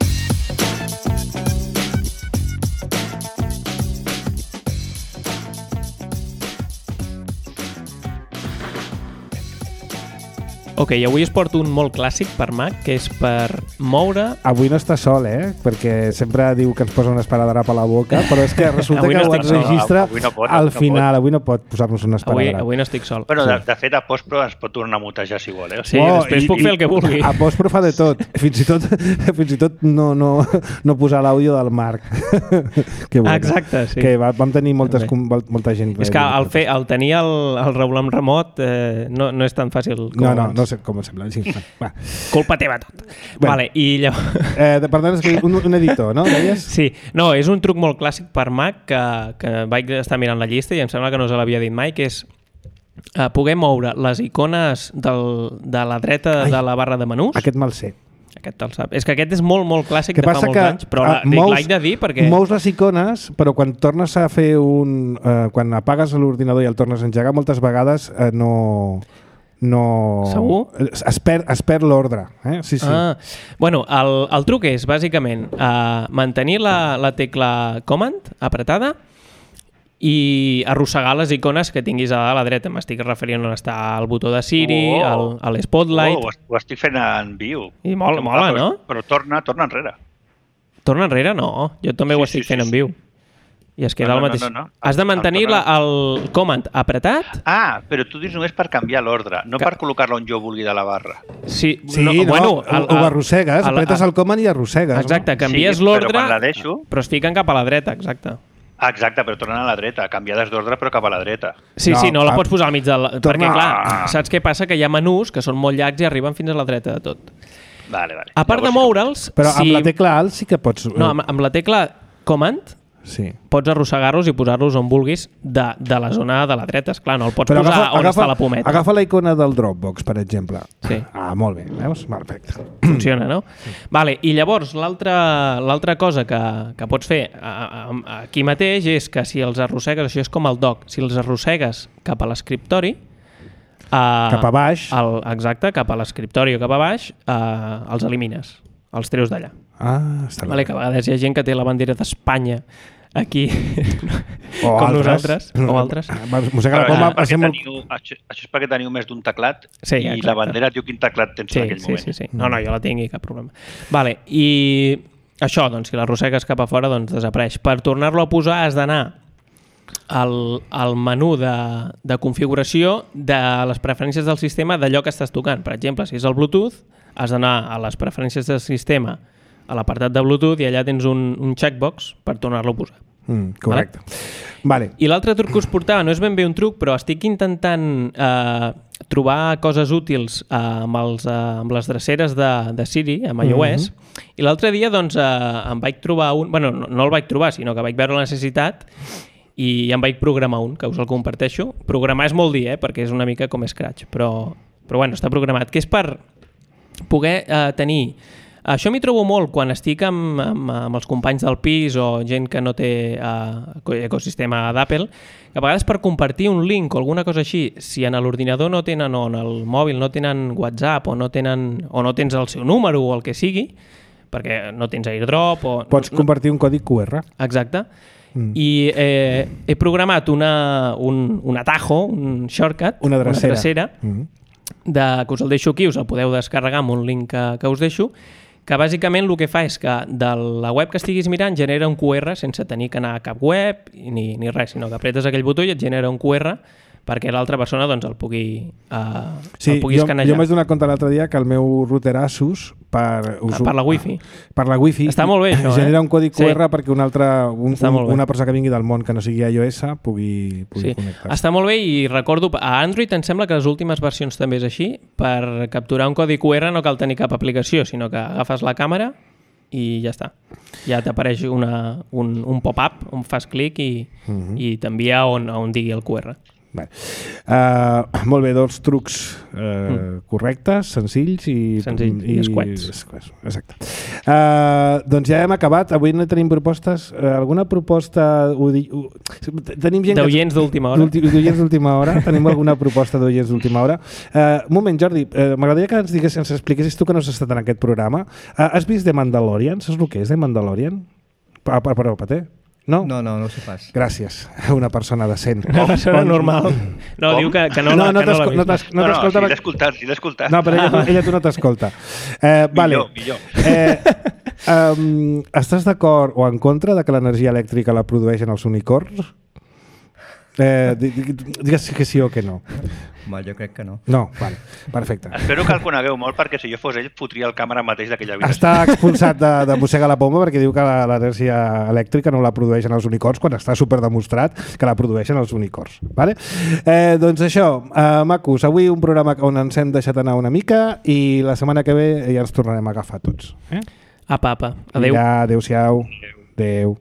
Ok, avui es porto un molt clàssic per Mac, que és per moure... Avui no està sol, eh? Perquè sempre diu que ens posa una esparadrap a la boca, però és que resulta Avui que no ho estic sol. enregistra Avui no pot, al no final. pot. Avui no pot posar-nos una Avui, esparadrap. avui no estic sol. Bueno, de, de fet, a postpro ens pot tornar a mutejar si vol, eh? O Sí, sigui, Oh, després i- puc i- fer el que vulgui. A postpro fa de tot. Fins i tot, fins i tot no, no, no posar l'àudio del Marc. que bueno, Exacte, sí. Que va, vam tenir moltes, També. com, molta gent. És que el, fer, el tenir el, el Reulam remot eh, no, no és tan fàcil com No, no, abans. no sé com em sembla. Sí, va. Culpa teva tot. Bueno. Vale, i llavors... Eh, per tant, és que un, un editor, no? Deies? Sí, no, és un truc molt clàssic per Mac que, que vaig estar mirant la llista i em sembla que no se l'havia dit mai, que és eh, poder moure les icones del, de la dreta Ai. de la barra de menús. Aquest me'l sé. Aquest te'l sap. És que aquest és molt, molt clàssic Que de fa passa molts que anys, però la, ah, dic, mous- l'haig de dir perquè... Mous les icones, però quan tornes a fer un... Eh, quan apagues l'ordinador i el tornes a engegar, moltes vegades eh, no... no... Segur? Es perd, es perd l'ordre. Eh? Sí, sí. Ah, bueno, el, el truc és, bàsicament, uh, mantenir la, la tecla Command apretada i arrossegar les icones que tinguis a la dreta. M'estic referint on està el botó de Siri, Oh. el, el Spotlight... Oh, ho, ho estic fent en viu. I mola, Que mola, però, no? Però torna, torna enrere. Torna enrere? No, jo també Sí, ho estic sí, sí, fent en sí. viu. I es queda No, el no, mateix. no, no, no. Has de mantenir El- la, el Command apretat. Ah, però tu dius només per canviar l'ordre, no Que- per col·locar-lo on jo vulgui de la barra. Sí, Sí, no, bueno, ho, ho arrossegues, el- apretes el Command i arrossegues. Exacte, canvies Sí, però l'ordre, quan la deixo- però es fiquen cap a la dreta, exacte. Ah, exacte, però tornen a la dreta, canviades d'ordre però cap a la dreta. Sí, No, sí, no la ah, pots posar al mig del... torna- Perquè, clar, Ah. saps què passa? Que hi ha menús que són molt llargs i arriben fins a la dreta de tot. Vale, vale. A part de Llavors sí que- moure'ls... no? Però si... amb la tecla Alt sí que pots... No, amb, amb la tecla Command Sí. pots arrossegar-los i posar-los on vulguis de, de la zona de la dreta. Esclar, no el pots Però posar agafa, on agafa, està la pometa. agafa la icona del Dropbox, per exemple. Sí. Ah, molt bé. Veus? Perfecte. Funciona, no? Vale, i llavors l'altra l'altra cosa que, que pots fer a, a, aquí mateix és que si els arrossegues, això és com el doc, si els arrossegues cap a l'escriptori, uh, Cap a baix. el, exacte, cap a l'escriptori o cap a baix, uh, els elimines, els treus d'allà. Ah, està bé. Vale, que a vegades hi ha gent que té la bandera d'Espanya aquí, O com altres. nosaltres, o altres. Mossega la Però poma, això, és perquè passem molt... teniu, això, això és perquè teniu més d'un teclat Sí, i exacte. la bandera et diu quin teclat tens Sí, en aquell sí, moment. sí, sí. No, no, jo la tinc i cap problema. Vale, i això, doncs, si l'arrossegues cap a fora, doncs desapareix. Per tornar-lo a posar has d'anar al, al menú de, de configuració de les preferències del sistema d'allò que estàs tocant. Per exemple, si és el Bluetooth, has d'anar a les preferències del sistema, a l'apartat de Bluetooth, i allà tens un, un checkbox per tornar-lo a posar. Mm, correcte. Vale. I l'altre truc que us portava no és ben bé un truc, però estic intentant eh, trobar coses útils eh, amb, els, eh, amb les dreceres de, de Siri, amb iOS, mm-hmm. i l'altre dia doncs, eh, em vaig trobar un... bueno, no, no el vaig trobar, sinó que vaig veure la necessitat i em vaig programar un, que us el comparteixo. Programar és molt dir, eh, perquè és una mica com Scratch, però, però bueno, està programat, que és per poder eh, tenir... Això m'hi trobo molt quan estic amb, amb, amb els companys del pis o gent que no té uh, ecosistema d'Apple, que a vegades per compartir un link o alguna cosa així, si en l'ordinador no tenen o en el mòbil no tenen WhatsApp o no, tenen, o no tens el seu número o el que sigui, perquè no tens AirDrop o... Pots compartir un codi Q R. Exacte. Mm. I eh, he programat una, un, un atajo, un shortcut, Una drecera. una drecera Mm. de, que us el deixo aquí, us el podeu descarregar amb un link que, que us deixo, que bàsicament el que fa és que de la web que estiguis mirant genera un Q R sense tenir que anar a cap web ni, ni res, sinó que apretes aquell botó i et genera un Q R perquè l'altra persona doncs, el pugui, uh, Sí, el pugui jo, escanejar. jo m'he donat compte l'altre dia que el meu router Asus per, us, Per la Wi-Fi. per la Wi-Fi Està molt bé, això, eh? genera un codi Q R Sí. perquè un altre, un, Està un, molt bé. una persona que vingui del món que no sigui iOS pugui, pugui Sí. connectar-se. Està molt bé i recordo, a Android em sembla que les últimes versions també és així, per capturar un codi Q R no cal tenir cap aplicació, sinó que agafes la càmera i ja està. Ja t'apareix una, un, un pop-up on fas clic i, uh -huh. i t'envia on, on digui el Q R. Vale. Uh, molt bé, dos trucs uh, mm. correctes, senzills i... Senzills i escuets. escuets. Exacte. Uh, doncs ja hem acabat. Avui no tenim propostes. Uh, alguna proposta... Ho di... ho... Tenim gent D'oients d'última hora. D'oients d'última hora. Tenim alguna proposta d'oients d'última hora. Uh, un moment, Jordi. Uh, M'agradaria que ens digués, ens expliquessis tu que no has estat en aquest programa. Uh, has vist The Mandalorian? Saps el que és The Mandalorian? Ah, perdó, Paté. No? No, no, no ho sé pas. Gràcies, una persona decent. Una persona normal. No, Com? diu que, que no, No, la, no que no l'ha t'esco- no vist. t'es- No, no, t'escolta sí, perquè- l'he escoltat, sí, l'he escoltat. No, però ella, ella tu no t'escolta. Eh, vale. Millor, millor. Eh, um, estàs d'acord o en contra de que l'energia elèctrica la produeixen els unicorns? Eh, di- di- digues que sí o que no. Home, jo crec que no. No, vale, perfecte. Espero que el conegueu molt, perquè si jo fos ell, fotria el càmera mateix d'aquella habitació. Està expulsat de, de mossegar la pomba perquè diu que la- l'energia elèctrica no la produeixen els unicorns quan està super demostrat que la produeixen els unicorns. Vale? Eh, doncs això, eh, macos, avui un programa on ens hem deixat anar una mica i la setmana que ve ja ens tornarem a agafar tots. Eh? Apa, apa. Adéu. Vinga, adéu-siau. Adéu.